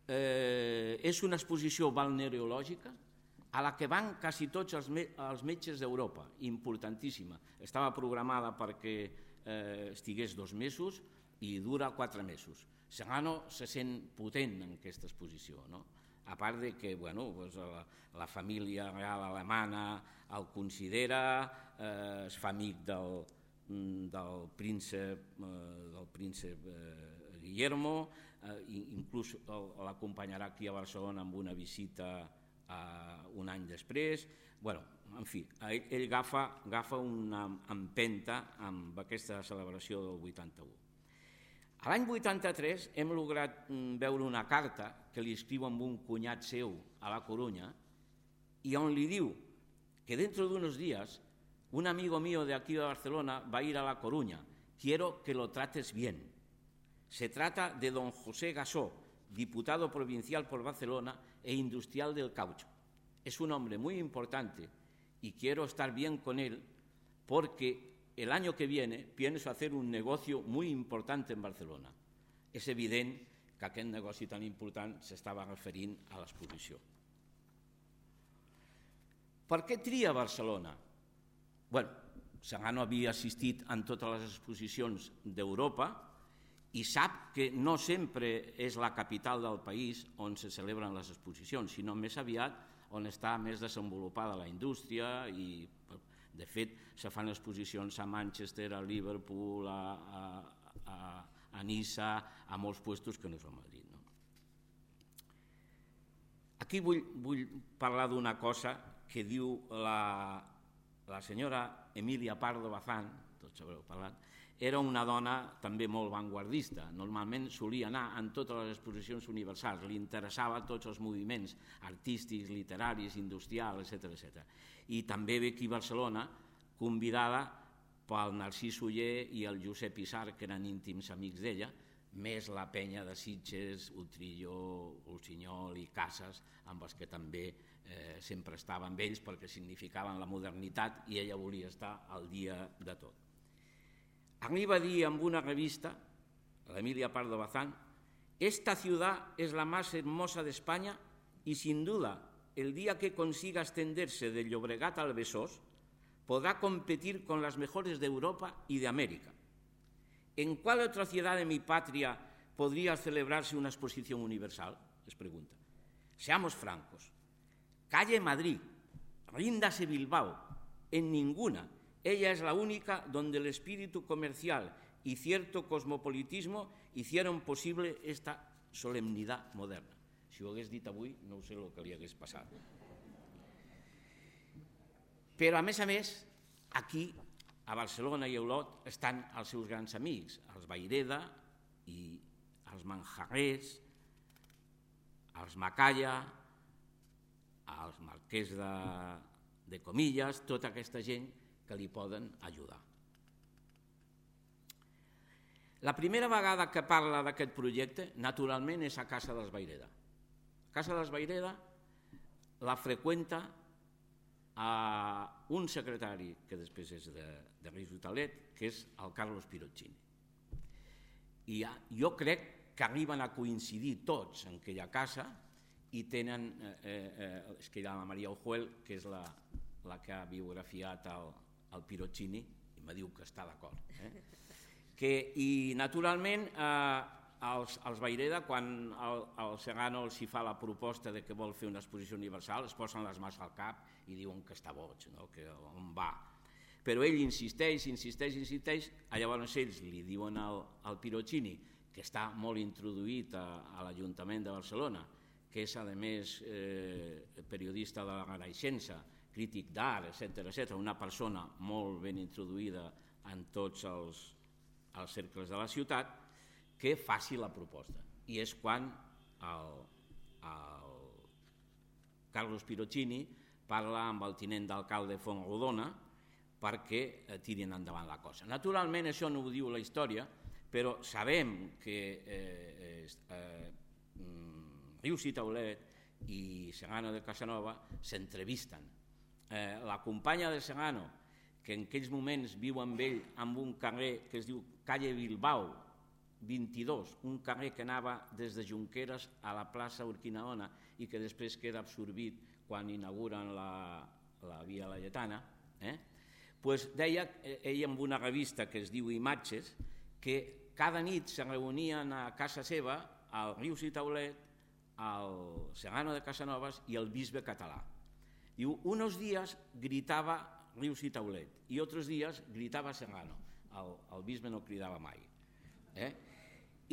És una exposició balneològica a la que van quasi tots els metges d'Europa, importantíssima. Estava programada perquè estigués 2 mesos i dura 4 mesos. Sagano se sent potent en aquesta exposició, no? A part de que la família real alemana el considera, es fa amic del príncep Guillermo, inclús l'acompanyarà aquí a Barcelona amb una visita un any després. En fi, ell agafa una empenta amb aquesta celebració del 81. A l'any 83 hem lograt veure una carta que li escriu amb un cunyat seu a La Coruña y on li diu que dentro de unos días un amigo mío de aquí de Barcelona va a ir a La Coruña. Quiero que lo trates bien. Se trata de don José Gasó, diputado provincial por Barcelona e industrial del caucho. Es un hombre muy importante y quiero estar bien con él porque el año que viene pienso hacer un negocio muy importante en Barcelona. És evident que aquest negoci tan important s'estava referint a l'exposició. Per què tria Barcelona? Sagano havia assistit en totes les exposicions d'Europa i sap que no sempre és la capital del país on se celebren les exposicions, sinó més aviat on està més desenvolupada la indústria i, de fet, se fan exposicions a Manchester, a Liverpool, a Niça, a molts puestos que no és a Madrid. Aquí vull parlar d'una cosa que diu la senyora Emilia Pardo Bazán, tots haureu parlat, era una dona també molt vanguardista. Normalment solia anar en totes les exposicions universals, li interessava tots els moviments artístics, literaris, industrials, etc. I també ve aquí a Barcelona, convidada pel Narcís Oller i el Josep Isart, que eren íntims amics d'ella, més la penya de Sitges, Utrillo, Ulsinyol i Casas, amb els que també sempre estava amb ells perquè significaven la modernitat i ella volia estar al dia de tot. Arriba a dir en una revista, l'Emilia Pardo Bazán, «Esta ciudad es la más hermosa de España y sin duda el día que consiga extenderse del Llobregat al Besós podrá competir con las mejores de Europa y de América. ¿En cuál otra ciudad de mi patria podría celebrarse una exposición universal?», les pregunta. Seamos francos. Calle Madrid, ríndase Bilbao, en ninguna. Ella es la única donde el espíritu comercial y cierto cosmopolitismo hicieron posible esta solemnidad moderna. Si ho hagués dit avui, no sé el que li hagués passat. Però, a més, aquí, a Barcelona i a Olot, estan els seus grans amics, els Vayreda i els Manjarrés, els Macaya, els Marquès de Comillas, tota aquesta gent que li poden ajudar. La primera vegada que parla d'aquest projecte, naturalment, és a casa dels Vayreda. Casa dels Vayreda la freqüenta un secretari que després és de Reis Hotelet, que és el Carlos Pirozzini. I jo crec que arriben a coincidir tots en aquella casa i tenen, és que hi ha la Maria Ojuel, que és la que ha biografiat el Pirozzini, i me diu que està d'acord. I naturalment els Vayreda, quan el Sagano els hi fa la proposta de que vol fer una exposició universal, es posen les mans al cap i diuen que està boig, que on va. Però ell insisteix, llavors ells li diuen al Pirozzini, que està molt introduït a l'Ajuntament de Barcelona, que és, a més, periodista de la Renaixença, crític d'art, etc., una persona molt ben introduïda en tots els cercles de la ciutat, que faci la proposta. I és quan el Carlos Pirozzini parla amb el tinent d'alcalde Fontrodona perquè tirin endavant la cosa. Naturalment, això no ho diu la història, però sabem que Rius i Taulet i Segano de Casanova s'entrevisten. La companya de Segano, que en aquells moments viu amb ell en un carrer que es diu Calle Bilbao 22, un carrer que anava des de Junqueras a la plaça Urquinaona i que després queda absorbit quan inauguren la Via Laietana, deia ell en una revista que es diu Imatges que cada nit se reunien a casa seva el Rius i Taulet, el Segano de Casanovas i el bisbe català. Diu, unos días gritava Rius i Taulet i otros días gritava Segano. El bisbe no cridava mai.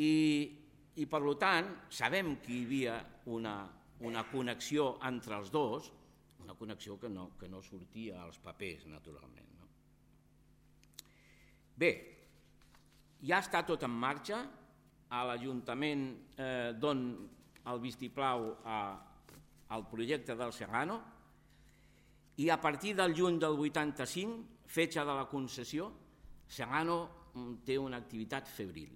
I per tant sabem que hi havia una connexió entre els dos, una connexió que no sortia als papers, naturalment. Bé, ja està tot en marxa, a l'Ajuntament don el vistiplau al projecte del Segano i a partir del juny del 85, fetge de la concessió, Segano té una activitat febril.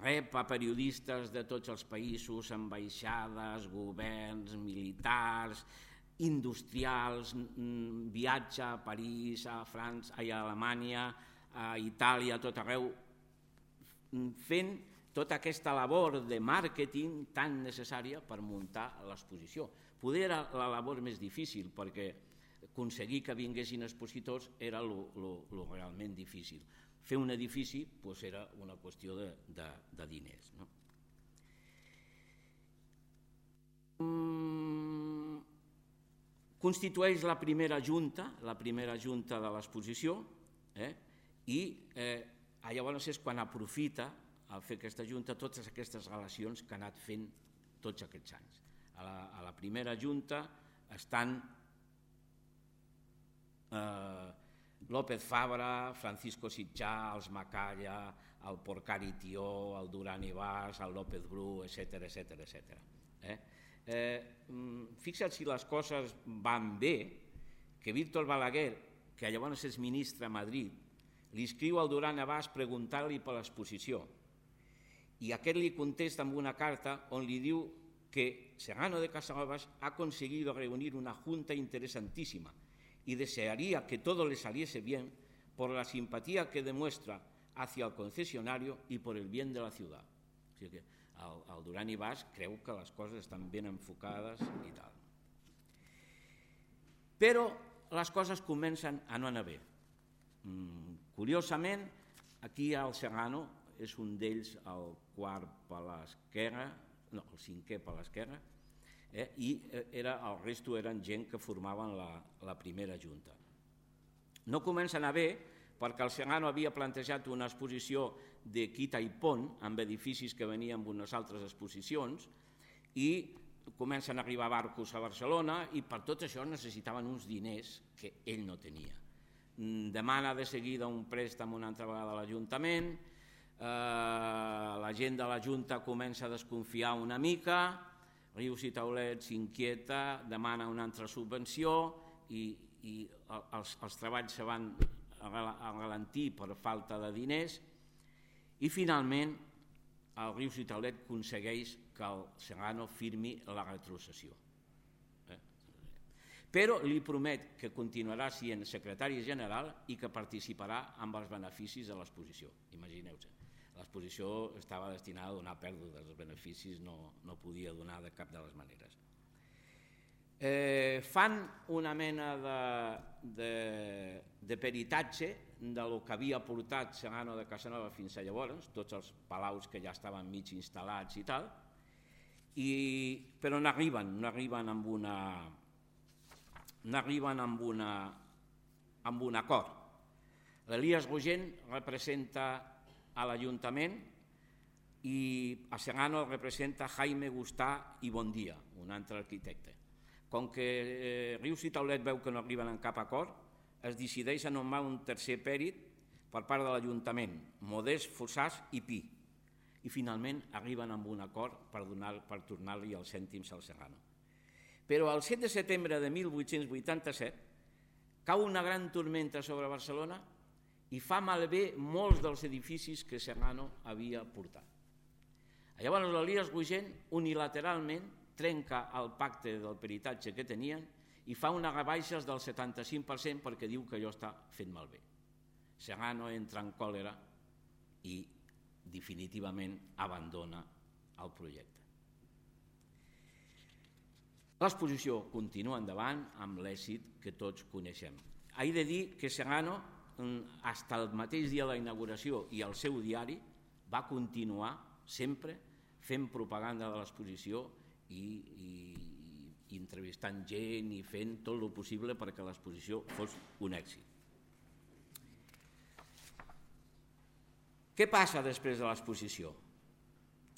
Rep a periodistes de tots els països, ambaixades, governs, militars, industrials, viatge a París, a França, a Alemanya, a Itàlia, a tot arreu, fent tota aquesta labor de màrqueting tan necessària per muntar l'exposició. Poder era la labor més difícil, perquè aconseguir que vinguessin expositors era el realment difícil. Fer un edifici era una qüestió de diners. Constitueix la primera junta de l'exposició, i llavors és quan aprofita al fer aquesta junta totes aquestes relacions que ha anat fent tots aquests anys. A la primera junta estan López Fabra, Francisco Sitjà, els Macalla, el Porcari Tió, el Duran i Bas, el López Bru, etc. Fixa't si les coses van bé, que Víctor Balaguer, que llavors és ministre a Madrid, li escriu al Duran i Bas preguntant-li per l'exposició i aquest li contesta amb una carta on li diu que Segano de Casanovas ha conseguido reunir una junta interesantísima y desearía que todo le saliese bien por la simpatía que demuestra hacia el concesionario y por el bien de la ciudad. O sigui que el Duran i Bas creu que les coses estan ben enfocades i tal. Però les coses comencen a no anar bé. Curiosament, aquí el Segano és un d'ells, el quart per l'esquerra, no, el cinquè per l'esquerra, i el resto eren gent que formaven la primera junta. No comença a anar bé perquè el Segano havia plantejat una exposició de quita i pont amb edificis que venien amb unes altres exposicions i comencen a arribar barcos a Barcelona i per tot això necessitaven uns diners que ell no tenia. Demana de seguida un préstec una altra vegada a l'Ajuntament, la gent de la Junta comença a desconfiar una mica, Rius i Taulet s'inquieta, demana una altra subvenció i els treballs se van a ralentir per falta de diners i finalment el Rius i Taulet aconsegueix que el Segano firmi la retrocessió. Però li promet que continuarà sent secretari general i que participarà amb els beneficis de l'exposició. Imagineu-se, l'exposició estava destinada a donar pèrdues, els beneficis no podia donar de cap de les maneres. Fan una mena de peritatge del que havia portat Segano de Casanova fins a llavors, tots els palaus que ja estaven mig instal·lats i tal, però no arriben amb un acord. L'Elias Rogent representa a l'Ajuntament i a Segano representa Jaime Gustà i Bondia, un altre arquitecte. Com que Rius i Taulet veu que no arriben a cap acord, es decideix a nomenar un tercer pèrit per part de l'Ajuntament, Modest Fossàs i Pi, i finalment arriben amb un acord per tornar-li els cèntims al Serrano. Però el 7 de setembre de 1887 cau una gran tormenta sobre Barcelona i fa malbé molts dels edificis que Serrano havia portat. Llavors l'Elies Rogent unilateralment trenca el pacte del peritatge que tenien i fa unes rebaixes del 75% perquè diu que allò està fet malbé. Serrano entra en còlera i definitivament abandona el projecte. L'exposició continua endavant amb l'èxit que tots coneixem. He de dir que Serrano, fins al mateix dia de la inauguració i el seu diari, va continuar sempre fent propaganda de l'exposició i entrevistant gent i fent tot el possible perquè l'exposició fos un èxit. Què passa després de l'exposició?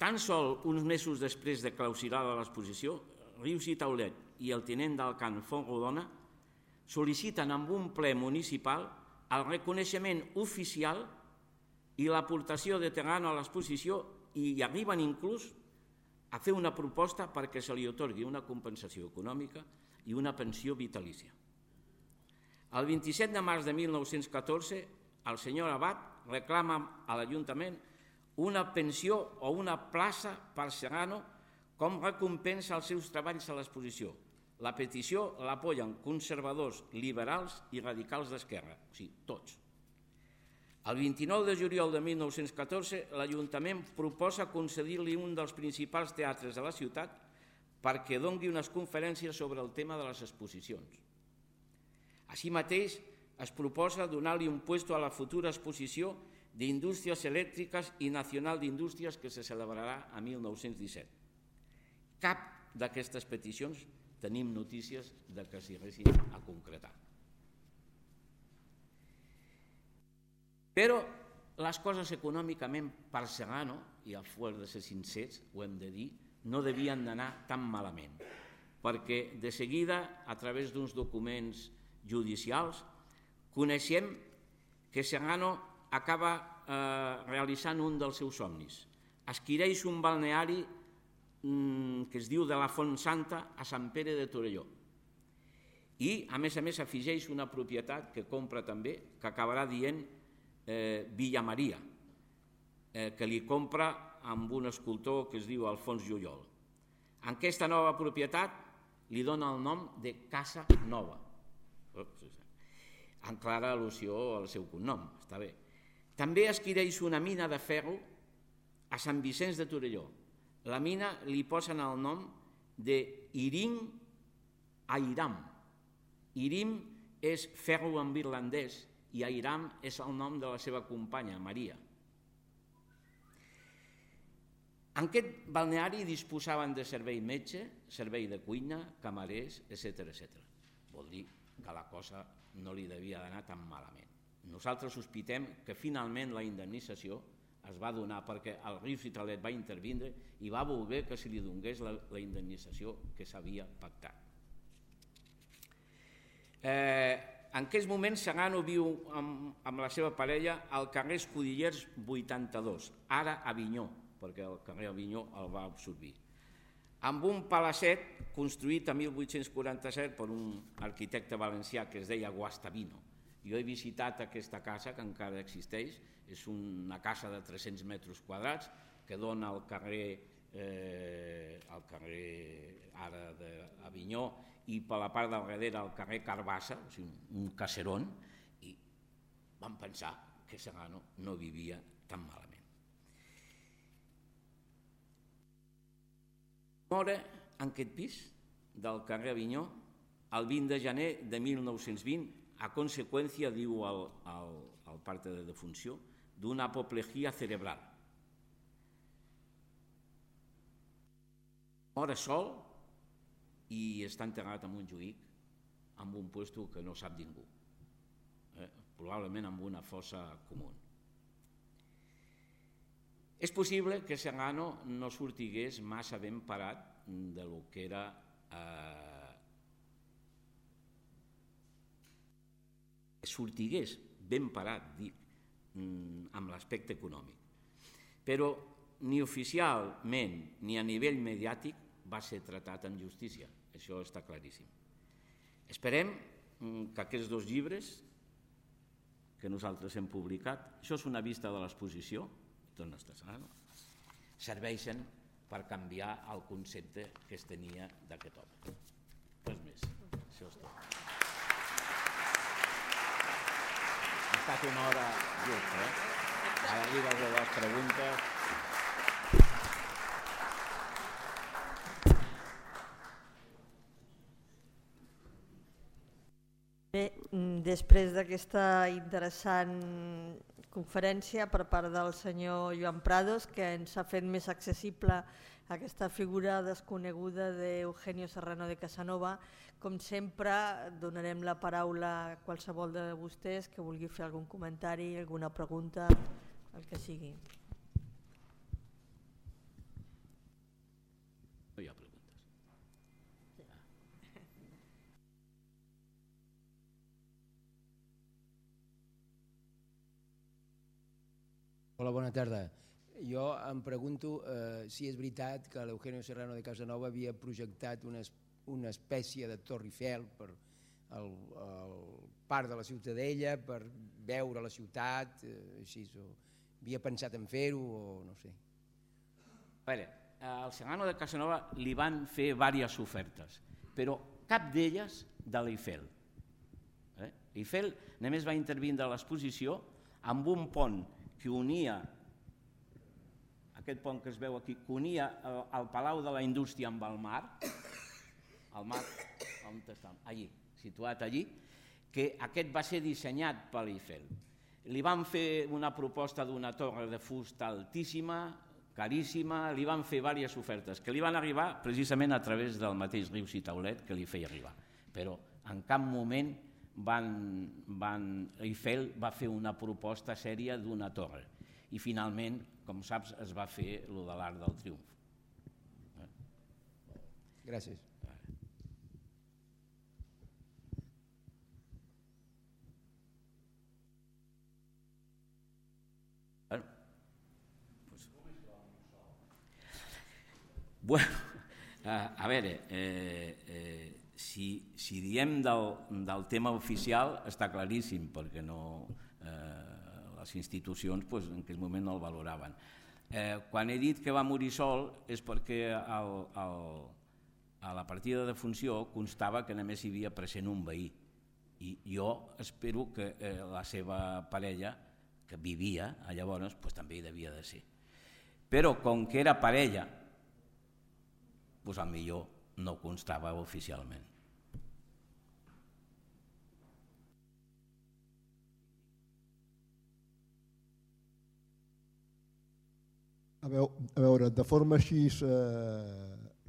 Tan sol uns mesos després de clausurada l'exposició, Rius i Taulet i el tinent d'Alcant Fontrodona sol·liciten amb un ple municipal el reconeixement oficial i l'aportació de Serrano a l'exposició i arriben inclús a fer una proposta perquè se li atorgui una compensació econòmica i una pensió vitalícia. El 27 de març de 1914, el senyor Abat reclama a l'Ajuntament una pensió o una plaça per Serrano com recompensa als seus treballs a l'exposició. La petició l'apoyen conservadors, liberals i radicals d'esquerra, o sigui, tots. El 29 de juliol de 1914, l'Ajuntament proposa concedir-li un dels principals teatres de la ciutat perquè doni unes conferències sobre el tema de les exposicions. Així mateix, es proposa donar-li un puesto a la futura exposició d'Indústries Elèctriques i Nacional d'Indústries que se celebrarà a 1917. Cap d'aquestes peticions tenim notícies de que s'hi haguessin a concretar. Però les coses econòmicament per Serrano, i a fuer de ser sincers, ho hem de dir, no devien d'anar tan malament, perquè de seguida, a través d'uns documents judicials, coneixem que Serrano acaba realitzant un dels seus somnis. Adquireix un balneari que es diu de la Font Santa a Sant Pere de Torelló i, a més, afegeix una propietat que compra també, que acabarà dient Villa Maria, que li compra amb un escultor que es diu Alfons Llullol. En aquesta nova propietat li dona el nom de Casa Nova, en clara al·lusió al seu cognom, està bé. També adquireix una mina de ferro a Sant Vicenç de Torelló. La mina li posen el nom de Irim Airam. Irim és ferro en irlandès i Airam és el nom de la seva companya, Maria. En aquest balneari disposaven de servei metge, servei de cuina, camarers, etc. Vol dir que la cosa no li devia d'anar tan malament. Nosaltres sospitem que finalment la indemnització es va donar perquè el Rius i Taulet va intervindre i va voler que se li donés la indemnització que s'havia pactat. En aquests moments Serrano viu amb la seva parella al carrer Escudillers 82, ara Avinyó, perquè el carrer Avinyó el va absorbir, amb un palacet construït a 1847 per un arquitecte valencià que es deia Guastavino. Jo he visitat aquesta casa, que encara existeix, és una casa de 300 metres quadrats que dona al carrer ara d'Avinyó i per la part del darrere al carrer Carbassa, o sigui, un caserón, i vam pensar que Serrano no vivia tan malament. Mora en aquest pis del carrer Avinyó el 20 de gener de 1920 a conseqüència, diu el parte de defunció, d'una apoplejia cerebral. Mora sol i està enterrat en un Montjuïc amb un puesto que no sap ningú, probablement amb una fossa comú. És possible que Serrano no sortigués massa ben parat de lo que era sortigués ben parat, dic, amb l'aspecte econòmic. Però ni oficialment ni a nivell mediàtic va ser tratat amb justícia, això està claríssim. Esperem que aquests 2 llibres que nosaltres hem publicat, això és una vista de l'exposició, serveixen per canviar el concepte que es tenia d'aquest home. Res més, això és tot. Ha estat una hora justa, Ara arriben les preguntes. Bé, després d'aquesta interessant conferència per part del senyor Joan Prados, que ens ha fet més accessible aquesta figura desconeguda d'Eugenio Serrano de Casanova, com sempre donarem la paraula a qualsevol de vostès que vulgui fer algun comentari, alguna pregunta, el que sigui. No hi ha preguntes. Hola, bona tarda. Jo em pregunto si és veritat que l'Eugenio Serrano de Casanova havia projectat una espècie de Torre Eiffel per al parc de la Ciutadella, per veure la ciutat, així, havia pensat en fer-ho o no sé. A veure, al Serrano de Casanova li van fer diverses ofertes, però cap d'elles de l'Eiffel. L'Eiffel només va intervindre a l'exposició amb un pont que unia, aquest pont que es veu aquí, que unia el Palau de la Indústria amb el mar, on està? Allí, situat allí, que aquest va ser dissenyat per l'Eiffel. Li van fer una proposta d'una torre de fusta altíssima, caríssima, li van fer diverses ofertes que li van arribar precisament a través del mateix Rius i Taulet que li feia arribar, però en cap moment Eiffel va fer una proposta sèria d'una torre i finalment, com saps, es va fer el de l'Arc del Triomf. Gràcies. Bueno, a veure, si diem del tema oficial està claríssim, perquè les institucions en aquell moment no el valoraven. Quan he dit que va morir sol és perquè a la partida de funció constava que només hi havia present un veí i jo espero que la seva parella, que vivia llavors, també hi devia de ser. Però com que era parella, potser no constava oficialment. A veure, de forma així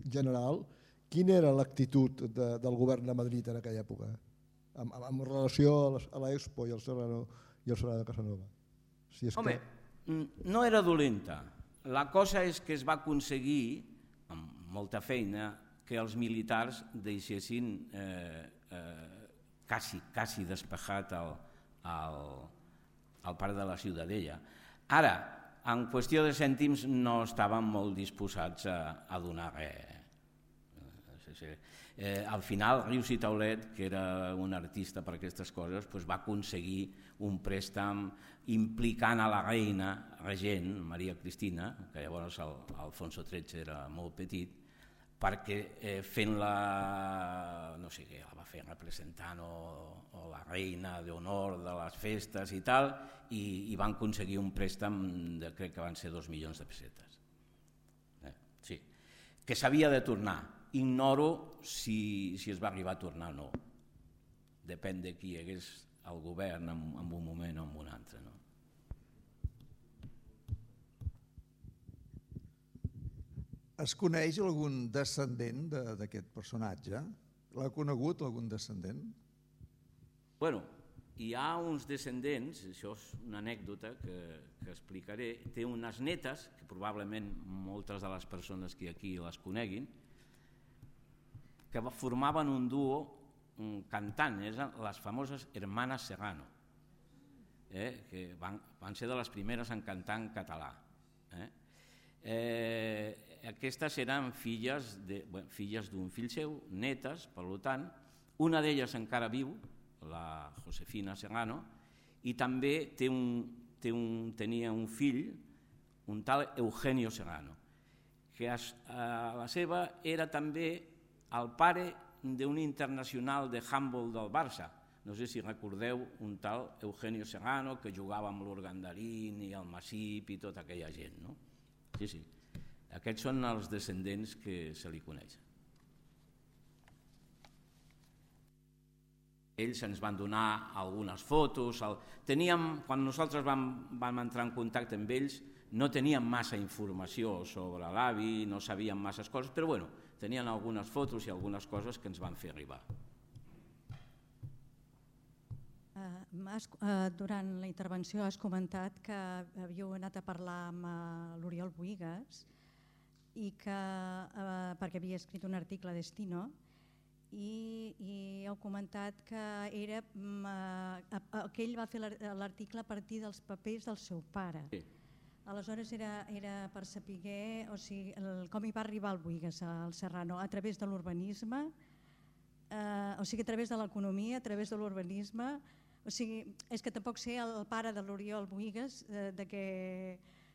general, quina era l'actitud del govern de Madrid en aquella època, en relació a l'Expo i al Serrano de Casanova? Home, no era dolenta. La cosa és que es va aconseguir, amb molta feina, que els militars deixessin quasi despejat el parc de la Ciutadella. Ara, en qüestió de cèntims no estaven molt disposats a donar res. Al final, Rius i Taulet, que era un artista per aquestes coses, va aconseguir un préstec implicant a la reina regent, Maria Cristina, que llavors Alfonso XIII era molt petit, perquè fent-la, no sé què, la va fer representant o la reina d'honor de les festes i tal, i van aconseguir un préstec de, crec que van ser 2 milions de pessetes. Sí, que s'havia de tornar. Ignoro si es va arribar a tornar o no. Depèn de qui hi hagués al govern en un moment o en un altre. Es coneix algun descendent d'aquest personatge? L'ha conegut algun descendent? Bueno, hi ha uns descendents, això és una anècdota que explicaré, té unes netes, que probablement moltes de les persones que aquí les coneguin, que formaven un duo cantant, les famoses Hermanas Serrano, que van ser de les primeres en cantar en català. Aquestes eren filles d'un fill seu, netes, per tant, una d'elles encara viu, la Josefina Serrano, i també tenia un fill, un tal Eugenio Serrano, que la seva era també el pare d'un internacional de handball del Barça. No sé si recordeu un tal Eugenio Serrano que jugava amb l'Urgandarín i el Masip i tota aquella gent, no? Sí, sí. Aquests són els descendents que se li coneixen. Ells ens van donar algunes fotos. Quan nosaltres vam entrar en contacte amb ells, no teníem massa informació sobre l'avi, no sabíem masses coses, però bueno, tenien algunes fotos i algunes coses que ens van fer arribar. Durant la intervenció has comentat que havíeu anat a parlar amb l'Oriol Bohigas perquè havia escrit un article a Destino i heu comentat que ell va fer l'article a partir dels papers del seu pare. Sí. Aleshores era per saber com hi va arribar el Bohigas, al Serrano, a través de l'urbanisme, a través de l'economia, a través de l'urbanisme. És que tampoc sé el pare de l'Oriol Bohigas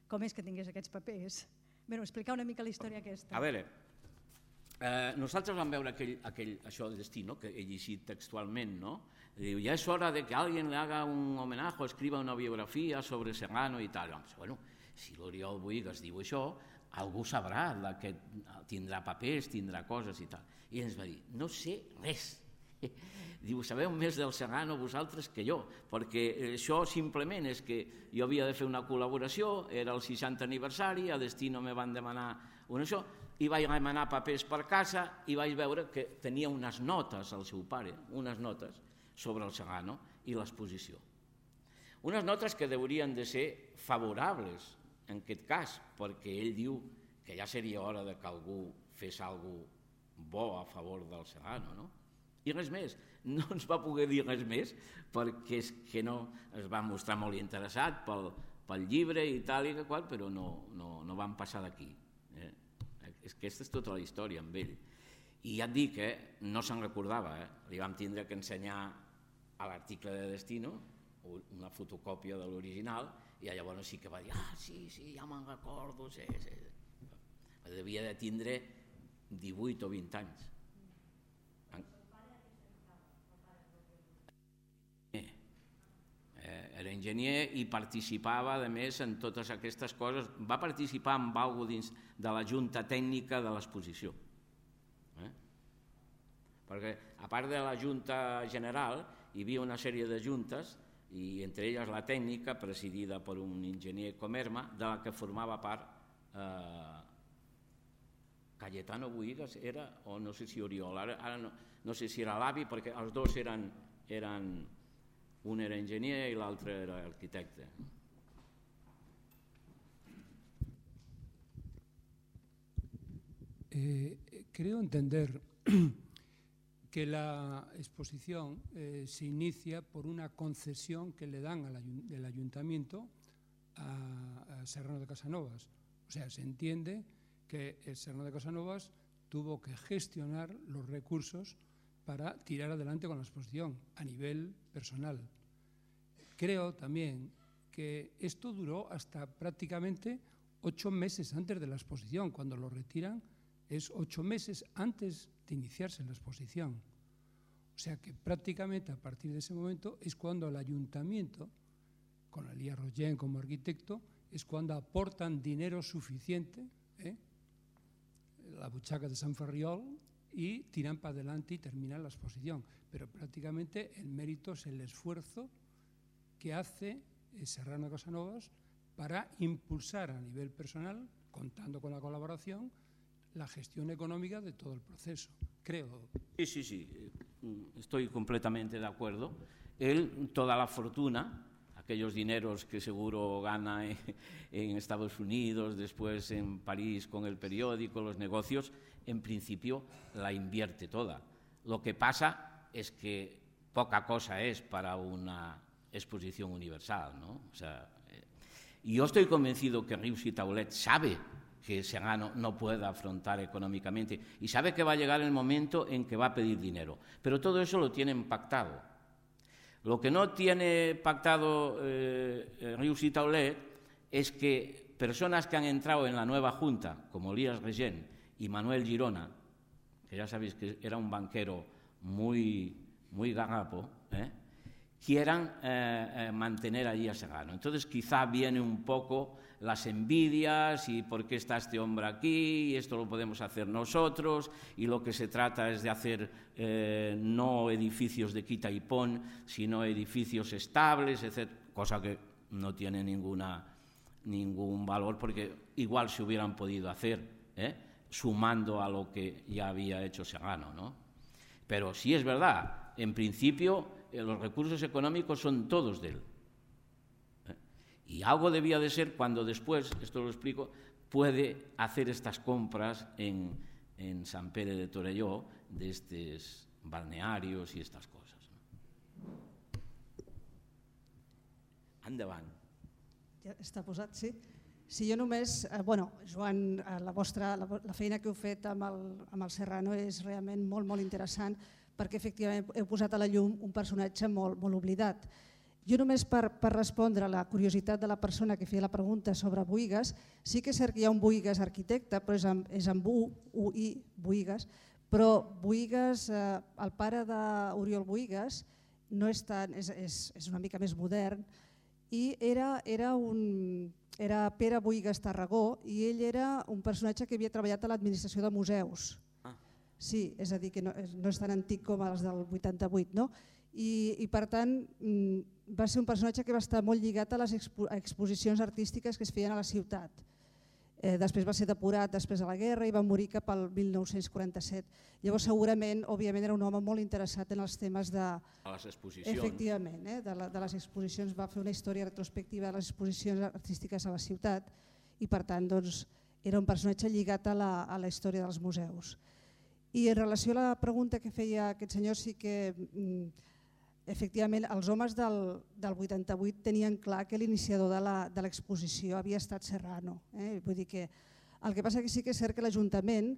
com és que tingués aquests papers. Explicar una mica la història aquesta. A veure, nosaltres vam veure això de Destino, que he llegit textualment, no? Diu, ja és hora de que alguien le haga un homenaje o escriba una biografia sobre Serrano i tal. Bueno, si l'Oriol Bohigas diu això, algú sabrà que tindrà papers, tindrà coses i tal. I ens va dir, no sé res. Diu, sabeu més del Serrano vosaltres que jo, perquè això simplement és que jo havia de fer una col·laboració, era el 60 aniversari, a Destino me van demanar una això, i vaig demanar papers per casa i vaig veure que tenia unes notes al seu pare, unes notes sobre el Serrano i l'exposició. Unes notes que haurien de ser favorables en aquest cas, perquè ell diu que ja seria hora que algú fes alguna cosa bo a favor del Serrano, no? I res més, no ens va poder dir res més perquè és que no es va mostrar molt interessat pel llibre i tal i qual, però no van passar d'aquí. Aquesta és tota la història amb ell. I ja et dic, no se'n recordava, li vam tindre que ensenyar a l'article de Destino una fotocòpia de l'original i llavors sí que va dir, sí, ja me'n recordo, sí. Devia de tindre 18 o 20 anys. Era enginyer i participava, a més, en totes aquestes coses. Va participar en alguna cosa dins de la junta tècnica de l'exposició. Perquè, a part de la junta general, hi havia una sèrie de juntes, i entre elles la tècnica, presidida per un enginyer com Erma, de la que formava part Cayetano Bohigas, era, o no sé si Oriol, ara no sé si era l'avi, perquè els dos eren un era enginyer i l'altre era arquitecte. Creo entender que la exposición se inicia por una concesión que le dan del ayuntamiento a Serrano de Casanovas. O sea, se entiende que el Serrano de Casanovas tuvo que gestionar los recursos para tirar adelante con la exposición a nivel personal. Creo también que esto duró hasta prácticamente 8 meses antes de la exposición. Cuando lo retiran es 8 meses antes de iniciarse la exposición. O sea que prácticamente a partir de ese momento es cuando el ayuntamiento, con Elías Rollén como arquitecto, es cuando aportan dinero suficiente, la buchaca de San Ferriol, y tiran para adelante y terminan la exposición. Pero prácticamente el mérito es el esfuerzo que hace Serrano de Casanovas para impulsar a nivel personal, contando con la colaboración, la gestión económica de todo el proceso, creo. Sí, estoy completamente de acuerdo. Él, toda la fortuna, aquellos dineros que seguro gana en Estados Unidos, después en París con el periódico, los negocios, en principio la invierte toda. Lo que pasa es que poca cosa es para una exposición universal, ¿no? O sea, yo estoy convencido que Rius y Taulet sabe que Segano no pueda afrontar económicamente y sabe que va a llegar el momento en que va a pedir dinero. Pero todo eso lo tienen pactado. Lo que no tiene pactado Rius y Taulet es que personas que han entrado en la nueva Junta, como Elías Regent y Manuel Girona, que ya sabéis que era un banquero muy garrapo, quieran mantener allí a Segano. Entonces quizá viene un poco las envidias y por qué está este hombre aquí y esto lo podemos hacer nosotros y lo que se trata es de hacer no edificios de quita y pon, sino edificios estables, etc., cosa que no tiene ningún valor porque igual se hubieran podido hacer, sumando a lo que ya había hecho Segano, ¿no? Pero sí es verdad, en principio los recursos económicos son todos de él. Y algo debía de ser cuando después, esto lo explico, puede hacer estas compras en Sant Pere de Torelló de estos balnearios y estas cosas. Endavant. Ja està posat, sí. Si jo només, Joan, la feina que heu fet amb el Serrano és realment molt, molt interessant perquè efectivament heu posat a la llum un personatge molt, molt oblidat. Jo només per respondre a la curiositat de la persona que feia la pregunta sobre Buïgas, sí que és cert que hi ha un Buïgas arquitecte, però és amb U-I, Buïgas, però Buïgas, el pare d'Oriol Buïgas, no és tant, és una mica més modern, i era Pere Buïgas Tarragó i ell era un personatge que havia treballat a l'administració de museus. Sí, és a dir, que no és tan antic com els del 88, no? I per tant va ser un personatge que va estar molt lligat a les exposicions artístiques que es feien a la ciutat. Després va ser depurat després de la guerra i va morir cap al 1947. Llavors segurament, òbviament, era un home molt interessat en els temes de... A les exposicions. Efectivament, de les exposicions, va fer una història retrospectiva de les exposicions artístiques a la ciutat i per tant era un personatge lligat a la història dels museus. I en relació a la pregunta que feia aquest senyor, sí que efectivament els homes del 88 tenien clar que l'iniciador de l'exposició havia estat Serrano. Vull dir que el que passa que sí que és cert que l'Ajuntament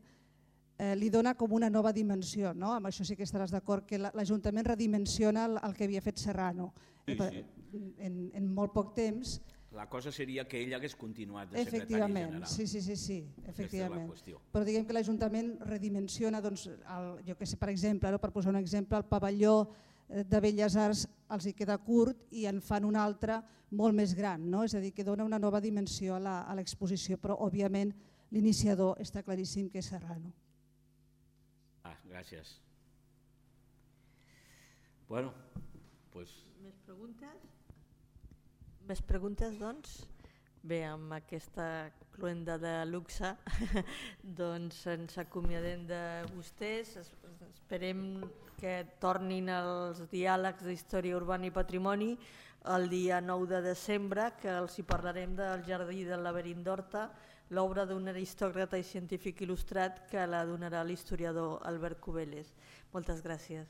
li dona com una nova dimensió, no? Amb això sí que estaràs d'acord, que l'Ajuntament redimensiona el que havia fet Serrano. En molt poc temps. La cosa seria que ell hagués continuat de secretari general. Sí, efectivament. Però diguem que l'Ajuntament redimensiona, jo que sé, per exemple, per posar un exemple, el pavelló de Belles Arts els hi queda curt i en fan un altre molt més gran, és a dir, que dona una nova dimensió a l'exposició, però òbviament l'iniciador està claríssim que és Serrano. Gràcies. Bueno, doncs... Més preguntes? Més preguntes, doncs? Bé, amb aquesta cloenda de luxe doncs ens acomiadem de vostès. Esperem que tornin els diàlegs d'història urbana i patrimoni el dia 9 de desembre, que els hi parlarem del Jardí del Laberint d'Horta, l'obra d'un aristòcrata i científic il·lustrat que la donarà l'historiador Albert Cubelles. Moltes gràcies.